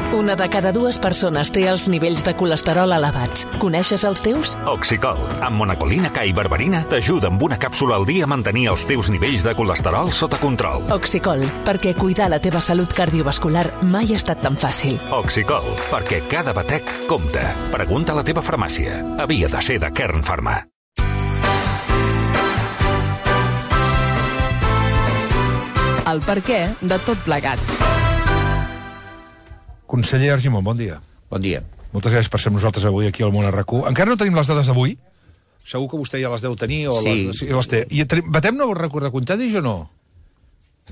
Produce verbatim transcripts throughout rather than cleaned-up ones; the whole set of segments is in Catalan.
Una de cada dues persones té els nivells de colesterol elevats. Coneixes els teus? Oxicol, amb monacolina K i berberina, t'ajuda amb una càpsula al dia a mantenir els teus nivells de colesterol sota control. Oxicol, perquè cuidar la teva salut cardiovascular mai ha estat tan fàcil. Oxicol, perquè cada batec compta. Pregunta a la teva farmàcia. Havia de ser de Kern Pharma. El perquè de tot plegat. Conseller Argimon, bon dia. Bon dia. Moltes gràcies per ser nosaltres avui aquí al Món R Q. Encara no tenim les dades d'avui? Segur que vostè ja les deu tenir o sí. les, sí, les té. I batem nou rècord de contagis o no?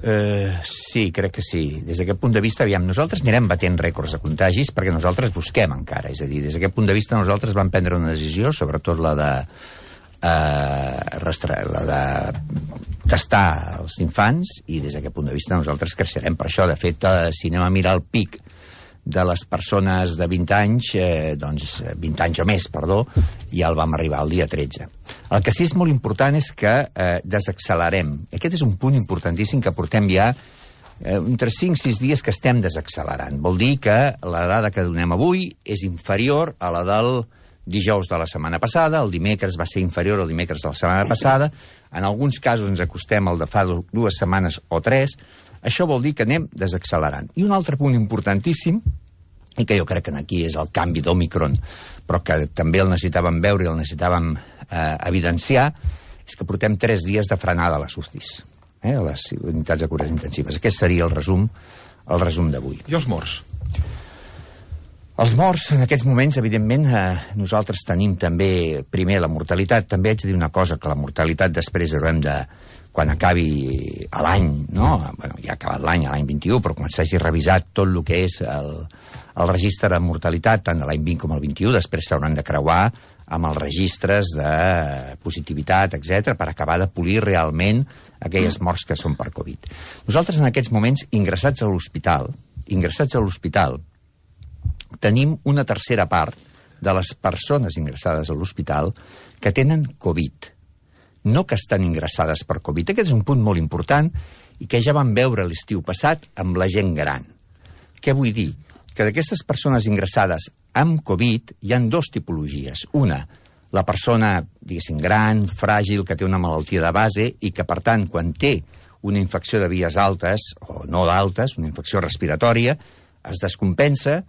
Uh, sí, crec que sí. Des d'aquest punt de vista, aviam, nosaltres anirem batent rècords de contagis perquè nosaltres busquem encara. És a dir, des d'aquest punt de vista nosaltres vam prendre una decisió, sobretot la de, uh, restra, la de testar els infants, i des d'aquest punt de vista nosaltres creixerem per això. De fet, uh, si anem a mirar el pic de les persones de vint anys, eh, doncs vint anys o més, perdó, ja el vam arribar el dia tretze. El que sí és molt important és que eh, desaccelerem. Aquest és un punt importantíssim que portem ja eh, entre cinc sis dies que estem desaccelerant. Vol dir que la dada que donem avui és inferior a la del dijous de la setmana passada, el dimecres va ser inferior al dimecres de la setmana passada, en alguns casos ens acostem al de fa dues setmanes o tres. Això vol dir que anem desaccelerant. I un altre punt importantíssim, i que jo crec que aquí és el canvi d'Omicron, però que també el necessitàvem veure i el necessitàvem eh, evidenciar, és que portem tres dies de frenada a les U C Is, eh, a les unitats de cures intensives. Aquest seria el resum, el resum d'avui. I els morts? Els morts, en aquests moments, evidentment, eh, nosaltres tenim també, primer, la mortalitat. També haig de dir una cosa, que la mortalitat després haurem de, quan acabi l'any, no? Bueno, ja ha acabat l'any, l'any vint-i-u, però quan s'hagi revisat tot el que és el, el registre de mortalitat, tant de l'any vint com el vint-i-u, després s'hauran de creuar amb els registres de positivitat, etcètera, per acabar de polir realment aquelles morts que són per Covid. Nosaltres, en aquests moments, ingressats a l'hospital, ingressats a l'hospital, tenim una tercera part de les persones ingressades a l'hospital que tenen Covid, no que estan ingressades per Covid. Aquest és un punt molt important i que ja vam veure l'estiu passat amb la gent gran. Què vull dir? Que d'aquestes persones ingressades amb Covid hi ha dues tipologies. Una, la persona, diguéssim, gran, fràgil, que té una malaltia de base i que, per tant, quan té una infecció de vies altes, o no d'altes, una infecció respiratòria, es descompensa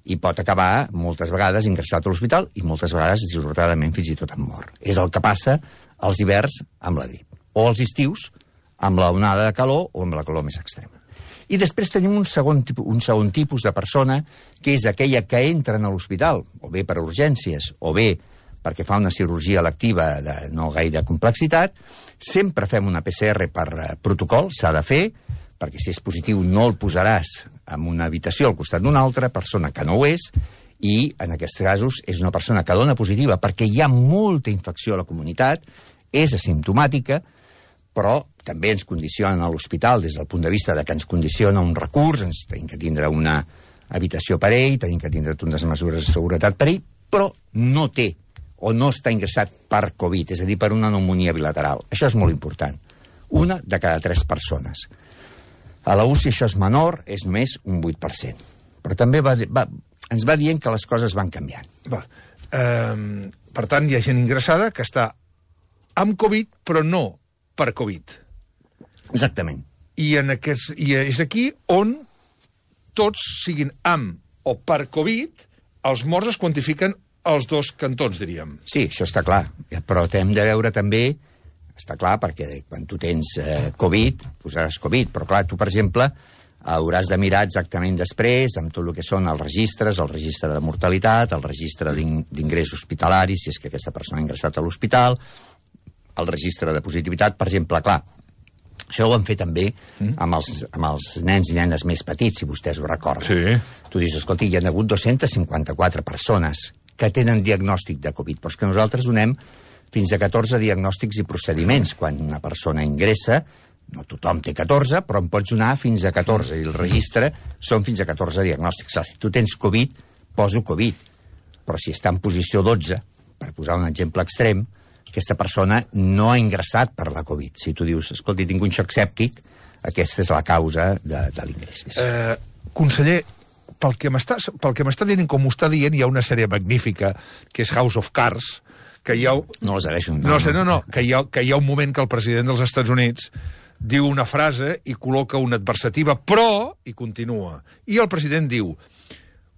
i pot acabar, moltes vegades, ingressat a l'hospital i moltes vegades, dissortadament, fins i tot amb mort. És el que passa als hiverns amb la grip, o als estius amb la onada de calor o amb la calor més extrema. I després tenim un segon, tipus, un segon tipus de persona, que és aquella que entra a l'hospital, o bé per urgències, o bé perquè fa una cirurgia electiva de no gaire complexitat. Sempre fem una P C R per protocol, s'ha de fer, perquè si és positiu no el posaràs en una habitació al costat d'una altra persona que no ho és, i en aquests casos és una persona que dona positiva perquè hi ha molta infecció a la comunitat, és asimptomàtica, però també ens condiciona a l'hospital des del punt de vista de que ens condiciona un recurs, ens tenim que tindre una habitació per ell, tenim que tindre unes mesures de seguretat per ell, però no té o no està ingressat per Covid, és a dir, per una pneumònia bilateral. Això és molt important. Una de cada tres persones. A la U C I això és menor, és només un vuit per cent. Però també va, va, ens va dient que les coses van canviant. Va. Um, per tant, hi ha gent ingressada que està amb Covid, però no per Covid. Exactament. I, en aquests, i és aquí on tots siguin amb o per Covid, els morts es quantifiquen als dos cantons, diríem. Sí, això està clar. Però hem de veure també, està clar, perquè quan tu tens eh, Covid, posaràs Covid, però clar, tu, per exemple, hauràs de mirar exactament després amb tot el que són els registres, el registre de mortalitat, el registre d'ingrés hospitalari, si és que aquesta persona ha ingressat a l'hospital, el registre de positivitat, per exemple, clar, això ho van fer també amb els, amb els nens i nenes més petits, si vostès ho recorden. Sí. Tu dius, escolta, hi ha hagut dos-centes cinquanta-quatre persones que tenen diagnòstic de Covid, però és que nosaltres donem fins a catorze diagnòstics i procediments. Quan una persona ingressa, no tothom té catorze, però en pots donar fins a catorze, i el registre són fins a catorze diagnòstics. Clar, si tu tens Covid, poso Covid, però si està en posició dotze, per posar un exemple extrem, aquesta persona no ha ingressat per la Covid. Si tu dius, escolta, tinc un xoc sèptic, aquesta és la causa de, de l'ingrés. Eh, conseller, pel que m'està pel que m'està dient, com ho està dient, hi ha una sèrie magnífica, que és House of Cards, que hi ha... No les agraeixo. No, no, no, que hi ha, que hi ha un moment que el president dels Estats Units diu una frase i col·loca una adversativa, però, i continua. I el president diu,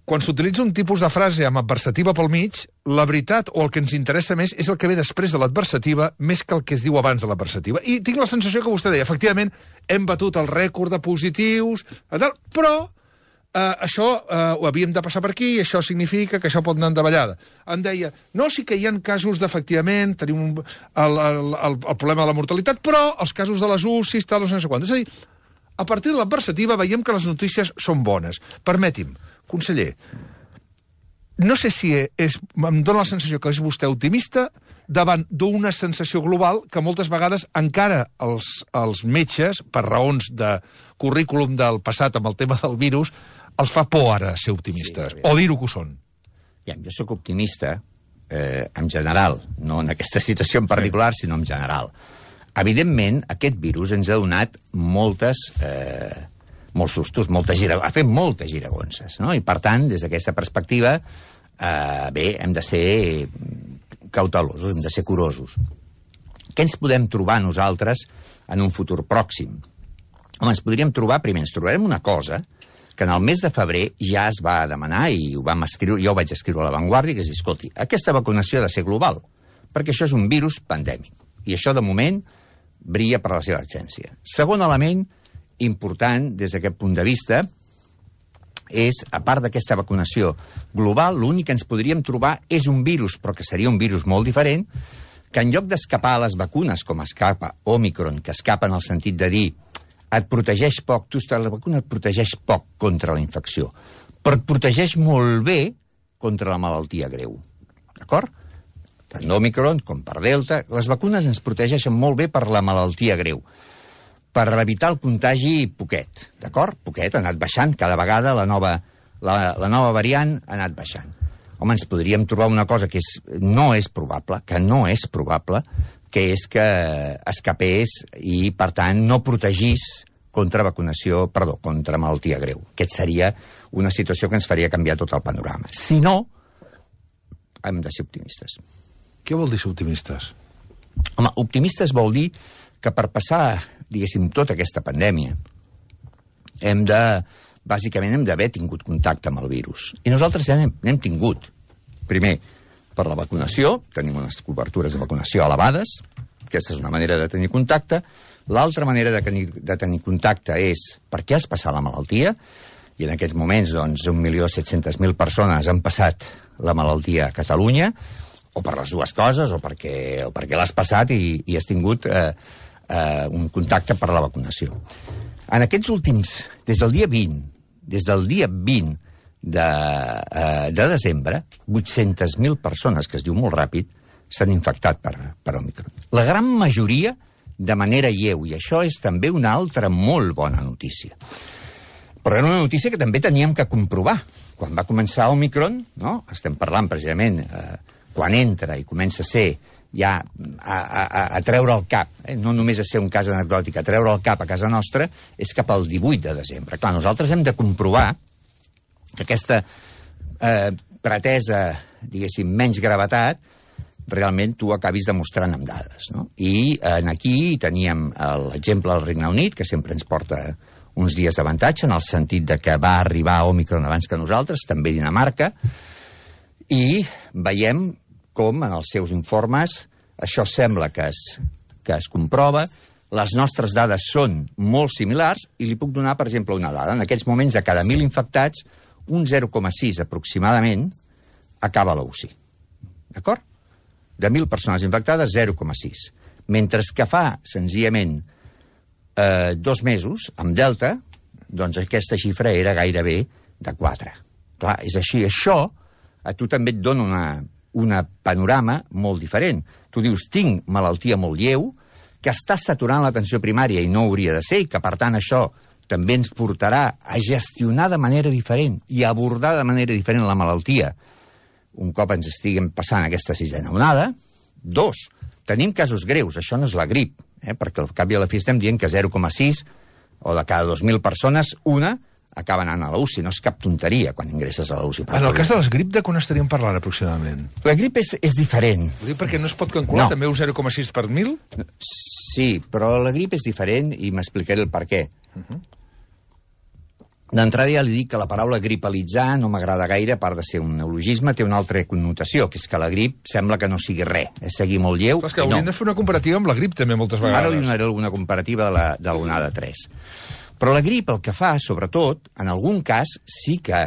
quan s'utilitza un tipus de frase amb adversativa pel mig, la veritat o el que ens interessa més és el que ve després de l'adversativa més que el que es diu abans de l'adversativa. I tinc la sensació que vostè deia, efectivament, hem batut el rècord de positius, però eh, això eh, ho havíem de passar per aquí i això significa que això pot anar en davallada. Em deia, no, sí que hi ha casos d'efectivament, tenim un, el, el, el, el problema de la mortalitat, però els casos de les U C I, tal, no sé quant. És a dir, a partir de l'adversativa veiem que les notícies són bones. Permeti'm, conseller, no sé si és, em dóna la sensació que és vostè optimista davant d'una sensació global que moltes vegades encara els, els metges, per raons de currículum del passat amb el tema del virus, els fa por ara ser optimistes, sí, o dir-ho que ho són. Ja, jo sóc optimista eh, en general, no en aquesta situació en particular, sinó en general. Evidentment, aquest virus ens ha donat moltes... Eh, molts sustos, moltes gira... ha fet moltes giragonses, no? I, per tant, des d'aquesta perspectiva, eh, bé, hem de ser cautelosos, hem de ser curosos. Què ens podem trobar nosaltres en un futur pròxim? Home, ens podríem trobar, primer, ens trobarem una cosa que en el mes de febrer ja es va demanar, i ho vam escriure, jo ho vaig escriure a La Vanguardia, que és dir, escolti, aquesta vacunació ha de ser global, perquè això és un virus pandèmic, i això, de moment, brilla per la seva absència. Segon element important des d'aquest punt de vista és, a part d'aquesta vacunació global, l'únic que ens podríem trobar és un virus, però que seria un virus molt diferent, que en lloc d'escapar a les vacunes, com escapa Omicron, que escapa en el sentit de dir et protegeix poc, tu estàs, la vacuna et protegeix poc contra la infecció, però et protegeix molt bé contra la malaltia greu. D'acord? Tant Omicron com per Delta, les vacunes ens protegeixen molt bé per la malaltia greu. Per evitar el contagi, poquet, d'acord? Poquet, ha anat baixant, cada vegada la nova, la, la nova variant ha anat baixant. Home, ens podríem trobar una cosa que és, no és probable, que no és probable, que és que escapés i, per tant, no protegís contra vacunació, perdó, contra malaltia greu. Aquest seria una situació que ens faria canviar tot el panorama. Si no, hem de ser optimistes. Què vol dir ser optimistes? Home, optimistes vol dir que per passar, diguéssim, tota aquesta pandèmia, hem de, bàsicament, hem d'haver tingut contacte amb el virus. I nosaltres ja n'hem, n'hem tingut. Primer, per la vacunació, tenim unes cobertures de vacunació elevades, aquesta és una manera de tenir contacte. L'altra manera de tenir, de tenir contacte és per què has passat la malaltia, i en aquests moments, doncs, un milió set-centes mil persones han passat la malaltia a Catalunya, o per les dues coses, o perquè, o perquè l'has passat i, i has tingut eh, eh, un contacte per la vacunació. En aquests últims, des del dia vint, des del dia vint de, eh, de desembre, vuit-centes mil persones, que es diu molt ràpid, s'han infectat per, per Omicron. La gran majoria de manera lleu, i això és també una altra molt bona notícia. Però era una notícia que també teníem que comprovar. Quan va començar Omicron, no? Estem parlant precisament... Eh, quan entra i comença a ser ja a, a, a treure el cap, eh? No només a ser un cas anecdòtic, a treure el cap a casa nostra, és cap al divuit de desembre. Clar, nosaltres hem de comprovar que aquesta eh, pretesa, diguéssim, menys gravetat, realment tu acabis demostrant amb dades, no? I en aquí teníem l'exemple del Regne Unit, que sempre ens porta uns dies d'avantatge, en el sentit de que va arribar Omicron abans que nosaltres, també Dinamarca, i veiem com en els seus informes això sembla que es, que es comprova, les nostres dades són molt similars, i li puc donar, per exemple, una dada. En aquests moments, de cada mil infectats, un zero coma sis aproximadament acaba a la U C I. D'acord? De mil persones infectades, zero coma sis. Mentre que fa, senzillament, eh, dos mesos, amb Delta, doncs aquesta xifra era gairebé de quatre. Clar, és així. Això a tu també et dona una, una panorama molt diferent. Tu dius, tinc malaltia molt lleu, que està saturant l'atenció primària i no hauria de ser, i que, per tant, això també ens portarà a gestionar de manera diferent i a abordar de manera diferent la malaltia un cop ens estiguem passant aquesta sisena onada. Dos, tenim casos greus, això no és la grip, eh? Perquè al cap i a la fi estem dient que zero coma sis o de cada dos mil persones, una acaba anant a la U C I. No és cap tonteria quan ingresses a la U C I. En el cas de les grip, de quan estaríem parlant aproximadament? La grip és, és diferent. Ho dic perquè no es pot calcular No. també un zero coma sis per mil? Sí, però la grip és diferent i m'explicaré el per què. Uh-huh. D'entrada ja li dic que la paraula gripalitzar no m'agrada gaire, a part de ser un neologisme, té una altra connotació, que és que la grip sembla que no sigui res, és seguir molt lleu. És que hauríem no. de fer una comparativa amb la grip també moltes vegades. Ara li donaré alguna comparativa de la, de l'onada tres. Però la grip el que fa, sobretot, en algun cas, sí que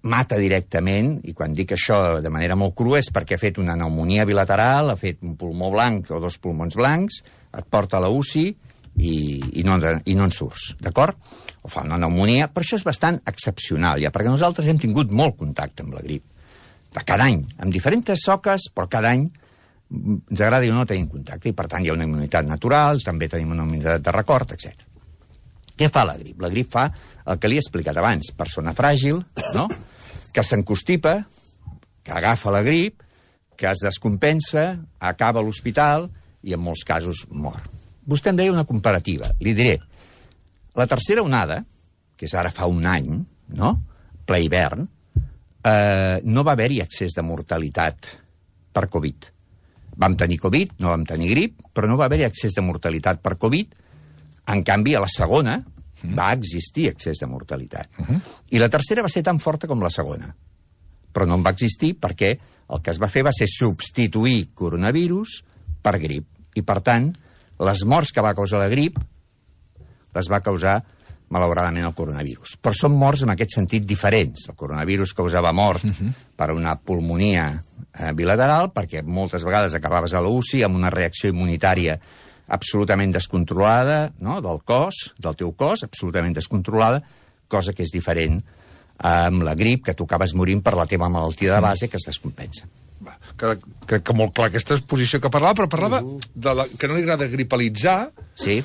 mata directament, i quan dic això de manera molt crua és perquè ha fet una pneumonia bilateral, ha fet un pulmó blanc o dos pulmons blancs, et porta a la U C I i, i, no, i no en surts, d'acord? O fa una pneumonia, però això és bastant excepcional, ja, perquè nosaltres hem tingut molt contacte amb la grip, de cada any, amb diferents soques, però cada any ens agrada o no tenim contacte, i per tant hi ha una immunitat natural, també tenim una immunitat de record, etcètera. Què fa la grip? La grip fa el que li he explicat abans, persona fràgil, no?, que s'encostipa, que agafa la grip, que es descompensa, acaba a l'hospital i en molts casos mor. Vostè em deia una comparativa, li diré. La tercera onada, que és ara fa un any, no?, ple hivern, eh, no va haver-hi excés de mortalitat per Covid. Vam tenir Covid, no vam tenir grip, però no va haver-hi excés de mortalitat per Covid. En canvi, a la segona mm. va existir excés de mortalitat. Uh -huh. I la tercera va ser tan forta com la segona. Però no en va existir perquè el que es va fer va ser substituir coronavirus per grip. I, per tant, les morts que va causar la grip les va causar, malauradament, el coronavirus. Però són morts en aquest sentit diferents. El coronavirus causava mort uh -huh. per una pulmonia eh, bilateral, perquè moltes vegades acabaves a la U C I amb una reacció immunitària absolutament descontrolada, no?, del cos, del teu cos, absolutament descontrolada, cosa que és diferent amb la grip, que tu acabes morint per la teva malaltia de base, que es descompensa. Va, que, que, que molt clar aquesta exposició que parlava, però parlava uh. de la, que no li agrada gripalitzar. Sí.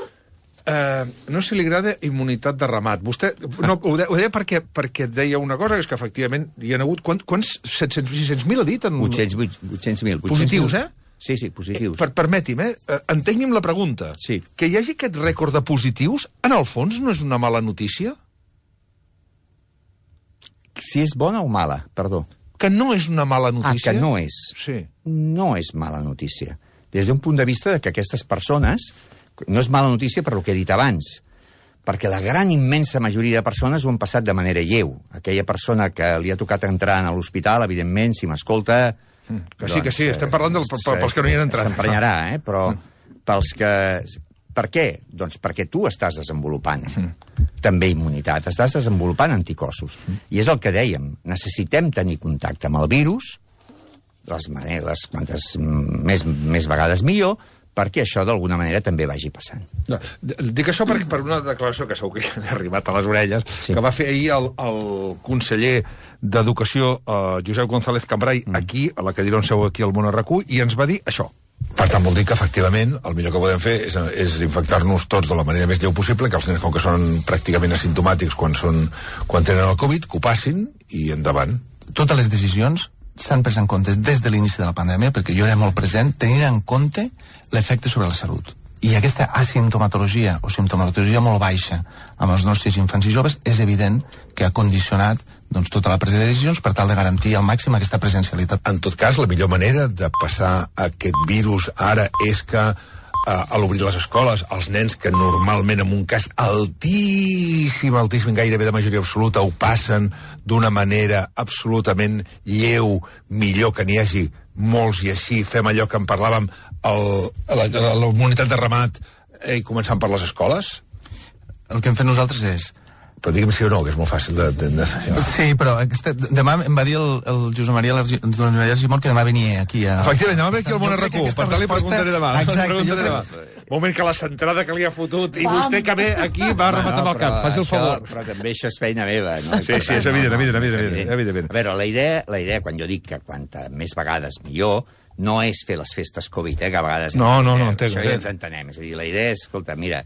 Eh, no sé si li agrada immunitat de ramat. Vostè no, ho, de, ho deia perquè, perquè deia una cosa, que és que efectivament hi ha hagut... Quants? quants set-cents, sis-cents mil ha dit? En... vuit-cents mil. Positius, eh? Sí, sí, positius. Per, permeti'm, eh? Entengui'm la pregunta. Sí. Que hi hagi aquest rècord de positius, en el fons, no és una mala notícia? Si és bona o mala, perdó. Que no és una mala notícia? Ah, que no és. Sí. No és mala notícia. Des d'un punt de vista de que aquestes persones... No és mala notícia per el que he dit abans, perquè la gran immensa majoria de persones ho han passat de manera lleu. Aquella persona que li ha tocat entrar a l'hospital, evidentment, si m'escolta... Mm, que sí, doncs, que sí, estem parlant del, pels que no hi han entrat. S'emprenyarà, eh? Però pels que... Per què? Doncs perquè tu estàs desenvolupant mm. també immunitat, estàs desenvolupant anticossos. Mm. I és el que dèiem, necessitem tenir contacte amb el virus, les maneres, quantes més, més vegades millor, perquè això d'alguna manera també vagi passant. No, dic això per, per una declaració que segur que ja ha arribat a les orelles, sí. que va fer ahir el, el conseller d'Educació, eh, Josep González Cambray, mm. aquí, a la cadira on seu aquí al Món R Q, i ens va dir això. Per tant, vol dir que, efectivament, el millor que podem fer és, és infectar-nos tots de la manera més lleu possible, que els nens, com que són pràcticament asimptomàtics quan, són, quan tenen el Covid, que ho passin i endavant. Totes les decisions s'han pres en compte des de l'inici de la pandèmia, perquè jo era molt present, tenint en compte l'efecte sobre la salut. I aquesta asimptomatologia o simptomatologia molt baixa amb els nostres infants i joves és evident que ha condicionat doncs, tota la presa de decisions per tal de garantir al màxim aquesta presencialitat. En tot cas, la millor manera de passar aquest virus ara és que a l'obrir les escoles, els nens que normalment en un cas altíssim, altíssim, gairebé de majoria absoluta, ho passen d'una manera absolutament lleu, millor que n'hi hagi molts, i així fem allò que en parlàvem, el, la, la, la comunitat de ramat, eh, i començant per les escoles? El que hem fet nosaltres és... Però digue'm sí o no, que és molt fàcil de... de, de... Sí, però este, demà em va dir el, el Josep Maria Argimon que demà venia aquí a... Efectivament, demà ve aquí al Món R Q, per tant li preguntaré demà. Exacte, jo demà. Moment que la centrada que li ha fotut, i vostè que ve aquí va rematar amb el cap, faci el favor. Però també això és feina meva, no? Sí, sí, és evident, evident, evident, evident. A veure, la idea, la idea, quan jo dic que quanta més vegades millor, no és fer les festes Covid, eh, que a vegades... No, no, no, entenc. Això ja ens entenem. És a dir, la idea és, escolta, mira,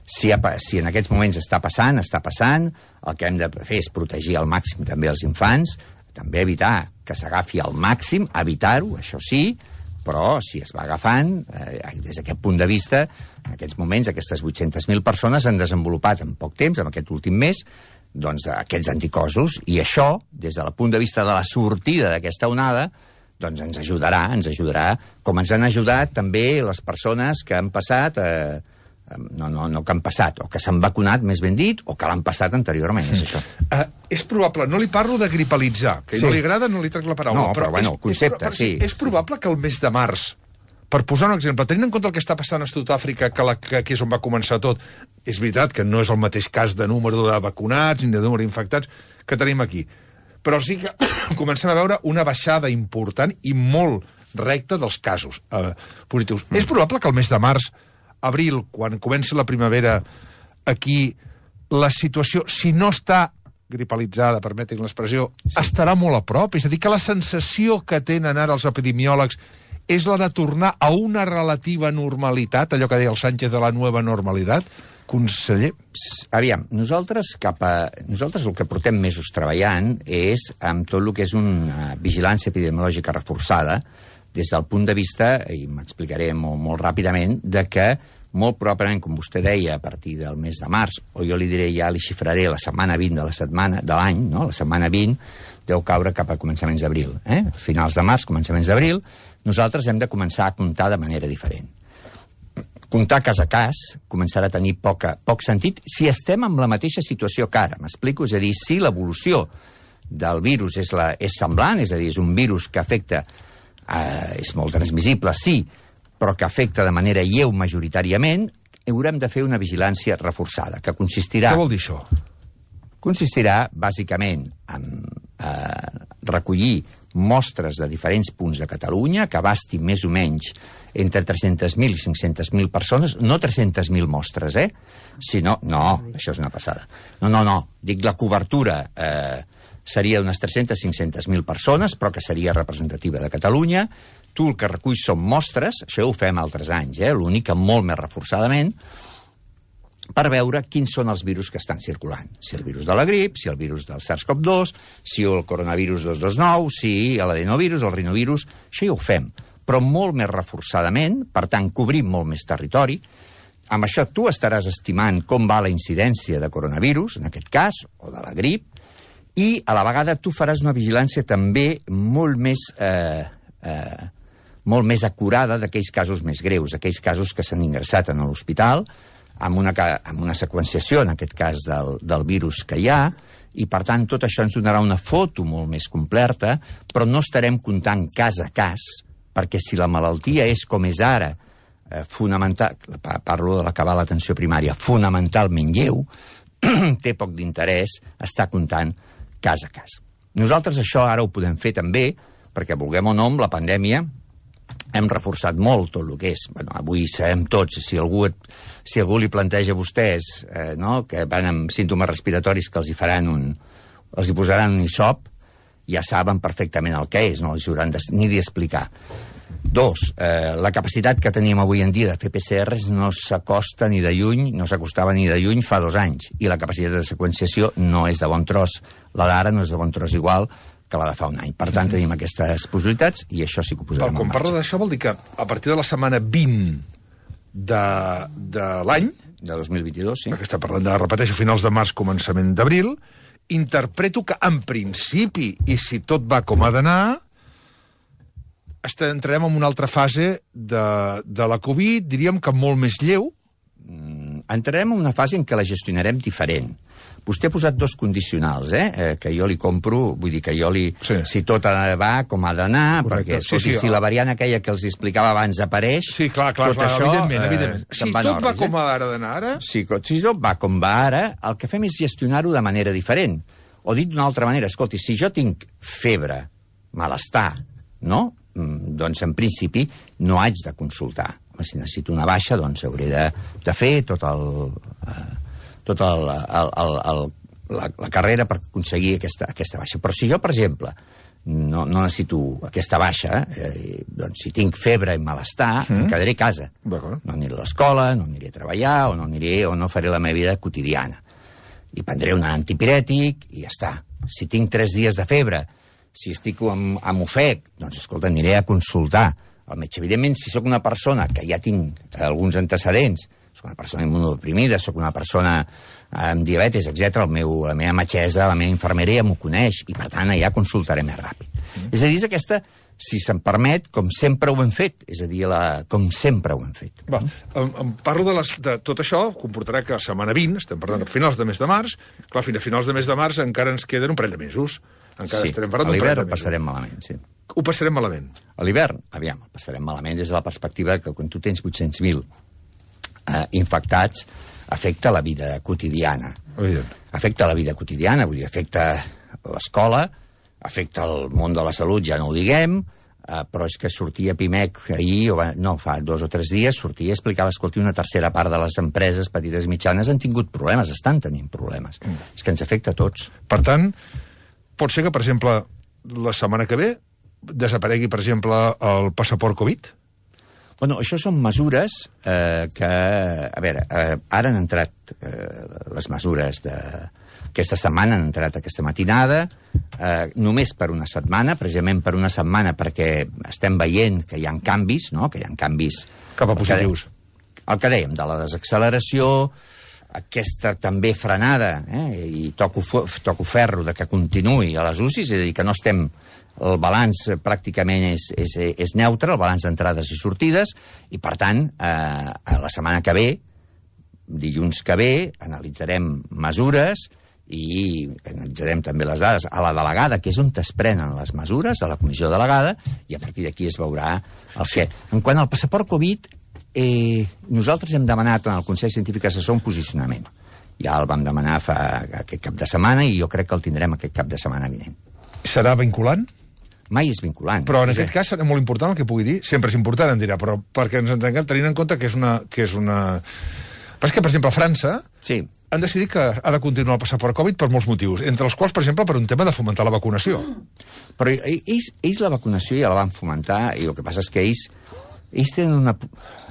si, si en aquests moments està passant, està passant, el que hem de fer és protegir al màxim també els infants, també evitar que s'agafi al màxim, evitar-ho, això sí, però si es va agafant, eh, des d'aquest punt de vista, en aquests moments aquestes vuit-centes mil persones han desenvolupat en poc temps, en aquest últim mes, doncs, aquests anticossos, i això, des del punt de vista de la sortida d'aquesta onada, doncs ens ajudarà, ens ajudarà, com ens han ajudat també les persones que han passat, eh, no, no, no que han passat, o que s'han vacunat, més ben dit, o que l'han passat anteriorment, és això. Uh, és probable, no li parlo de gripalitzar, que Sí. no li agrada, no li trec la paraula. No, però, bueno, el concepte, és, sí. És probable que el mes de març, per posar un exemple, tenint en compte el que està passant a Sud-àfrica, que, la, que aquí és on va començar tot, és veritat que no és el mateix cas de número de vacunats ni de número d'infectats que tenim aquí. Però sí que comencem a veure una baixada important i molt recta dels casos eh, positius. Mm. És probable que el mes de març, abril, quan comenci la primavera, aquí la situació, si no està gripalitzada, permetin l'expressió, sí. estarà molt a prop. És a dir, que la sensació que tenen ara els epidemiòlegs és la de tornar a una relativa normalitat, allò que deia el Sánchez de la nova normalitat, conseller? Aviam, nosaltres, cap a, nosaltres el que portem mesos treballant és amb tot el que és una vigilància epidemiològica reforçada des del punt de vista, i m'explicaré molt, molt ràpidament, de que molt probablement, com vostè deia, a partir del mes de març, o jo li diré, ja li xifraré la setmana vint de la setmana de l'any, no? La setmana vint deu caure cap a començaments d'abril. Eh? Finals de març, començaments d'abril, nosaltres hem de començar a comptar de manera diferent. Comptar cas a cas començarà a tenir poca, poc sentit si estem en la mateixa situació que ara. M'explico? És a dir, si l'evolució del virus és, la, és semblant, és a dir, és un virus que afecta, eh, és molt transmissible, sí, però que afecta de manera lleu majoritàriament, haurem de fer una vigilància reforçada, que consistirà... Què vol dir això? Consistirà, bàsicament, en eh, recollir mostres de diferents punts de Catalunya, que abasti més o menys entre tres-centes mil i cinc-centes mil persones, no tres-centes mil mostres, eh? Sinó, no, això és una passada. No, no, no, dic la cobertura eh, seria d'unes tres-centes a cinc-centes mil persones, però que seria representativa de Catalunya. Tu el que reculls són mostres, això ho fem altres anys, eh? L'únic que molt més reforçadament, per veure quins són els virus que estan circulant. Si el virus de la grip, si el virus del SARS-CoV dos, si el coronavirus dos cents vint nou, si l'adenovirus, el rinovirus... Això ja ho fem, però molt més reforçadament, per tant, cobrim molt més territori. Amb això tu estaràs estimant com va la incidència de coronavirus, en aquest cas, o de la grip, i a la vegada tu faràs una vigilància també molt més... Eh, eh, molt més acurada d'aquells casos més greus, aquells casos que s'han ingressat en l'hospital, amb una, amb una seqüenciació, en aquest cas, del, del virus que hi ha, i, per tant, tot això ens donarà una foto molt més completa, però no estarem comptant cas a cas, perquè si la malaltia és com és ara, eh, fonamental, parlo de l'acabar l'atenció primària, fonamentalment lleu, té poc d'interès estar comptant cas a cas. Nosaltres això ara ho podem fer també, perquè vulguem o no, amb la pandèmia, hem reforçat molt tot el que és. Bueno, avui sabem tots, si algú, si algú li planteja a vostès eh, no, que van amb símptomes respiratoris que els hi faran un, els hi posaran un hisop, ja saben perfectament el que és, no els hauran de, ni d'explicar. Dos, eh, la capacitat que tenim avui en dia de fer P C Rs no s'acosta ni de lluny, no s'acostava ni de lluny fa dos anys, i la capacitat de seqüenciació no és de bon tros. La d'ara no és de bon tros igual que la de fa un any. Per tant, tenim aquestes possibilitats i això sí que ho posarem en marxa. Quan parla d'això vol dir que a partir de la setmana vint de, de l'any, de dos mil vint-i-dos, sí. Perquè està parlant de, repeteixo, finals de març, començament d'abril, interpreto que, en principi, i si tot va com ha d'anar, entrarem en una altra fase de, de la Covid, diríem que molt més lleu. Mm, entrarem en una fase en què la gestionarem diferent. Vostè ha posat dos condicionals, eh? eh que jo li compro, vull dir que jo li... Sí. Si tot va com ha d'anar, perquè sí, escolti, sí, si la variant aquella que els explicava abans apareix... Sí, clar, clar, tot clar això, evidentment, evidentment. Eh, si tot orris, va com eh? ha d'anar ara... Si, si tot va com va ara, el que fem és gestionar-ho de manera diferent. O dit d'una altra manera, escolti, si jo tinc febre, malestar, no? Mm, doncs, en principi, no haig de consultar. Si necessito una baixa, doncs hauré de, de fer tot el... Eh, tot el, el, el, el La, la carrera per aconseguir aquesta, aquesta baixa. Però si jo, per exemple, no, no necessito aquesta baixa, eh, doncs si tinc febre i malestar, mm. em quedaré a casa. No aniré a l'escola, no aniré a treballar, o no aniré, o no faré la meva vida quotidiana. I prendré un antipirètic i ja està. Si tinc tres dies de febre, si estic amb, amb ofec, doncs, escolta, aniré a consultar el metge. Evidentment, si sóc una persona que ja tinc alguns antecedents, soc una persona immunodeprimida, soc una persona amb diabetes, etcètera. El meu, la meva metgessa, la meva infermeria m'ho coneix i, per tant, allà consultaré més ràpid. Mm. És a dir, és aquesta, si se'm permet, com sempre ho hem fet. És a dir, la, com sempre ho hem fet. Va, em, em parlo de, les, de tot això, comportarà que a setmana vint, estem parlant a finals de mes de març, clar, fins a finals de mes de març encara ens queden un parell de mesos. Encara sí, estarem parlant a d'un parell de l'hivern mesos. passarem malament, sí. Ho passarem malament. A l'hivern, aviam, el passarem malament des de la perspectiva que quan tu tens vuit-cents mil eh, infectats, afecta la vida quotidiana. Evident. Afecta la vida quotidiana, vull dir, afecta l'escola, afecta el món de la salut, ja no ho diguem, eh, però és que sortia Pimec ahir, o va, no, fa dos o tres dies, sortia i explicava, escolti, una tercera part de les empreses petites i mitjanes han tingut problemes, estan tenint problemes. Mm. És que ens afecta a tots. Per tant, pot ser que, per exemple, la setmana que ve desaparegui, per exemple, el passaport Covid? Bueno, això són mesures eh, que... A veure, eh, ara han entrat eh, les mesures de... Aquesta setmana han entrat aquesta matinada, eh, només per una setmana, precisament per una setmana, perquè estem veient que hi ha canvis, no?, que hi ha canvis... Cap a positius. El que, el que dèiem, de la desacceleració, aquesta també frenada, eh, i toco, toco ferro de que continuï a les U C I, és a dir, que no estem... El balanç pràcticament és, és, és neutre, el balanç d'entrades i sortides, i, per tant, eh, la setmana que ve, dilluns que ve, analitzarem mesures i analitzarem també les dades a la delegada, que és on es prenen les mesures, a la comissió delegada, i a partir d'aquí es veurà el que... En quant al passaport Covid, eh, nosaltres hem demanat en el Consell Científic Assessor un posicionament. Ja el vam demanar fa aquest cap de setmana i jo crec que el tindrem aquest cap de setmana vinent. Serà vinculant? Mai és vinculant. Però en aquest cas serà molt important el que pugui dir. Sempre és important, em dirà, però perquè ens entenguem, tenint en compte que és una... Que és una... Però és que, per exemple, a França sí. han decidit que ha de continuar el passaport Covid per molts motius, entre els quals, per exemple, per un tema de fomentar la vacunació. Però ells, ells la vacunació ja la van fomentar, i el que passa és que ells, ells, tenen, una,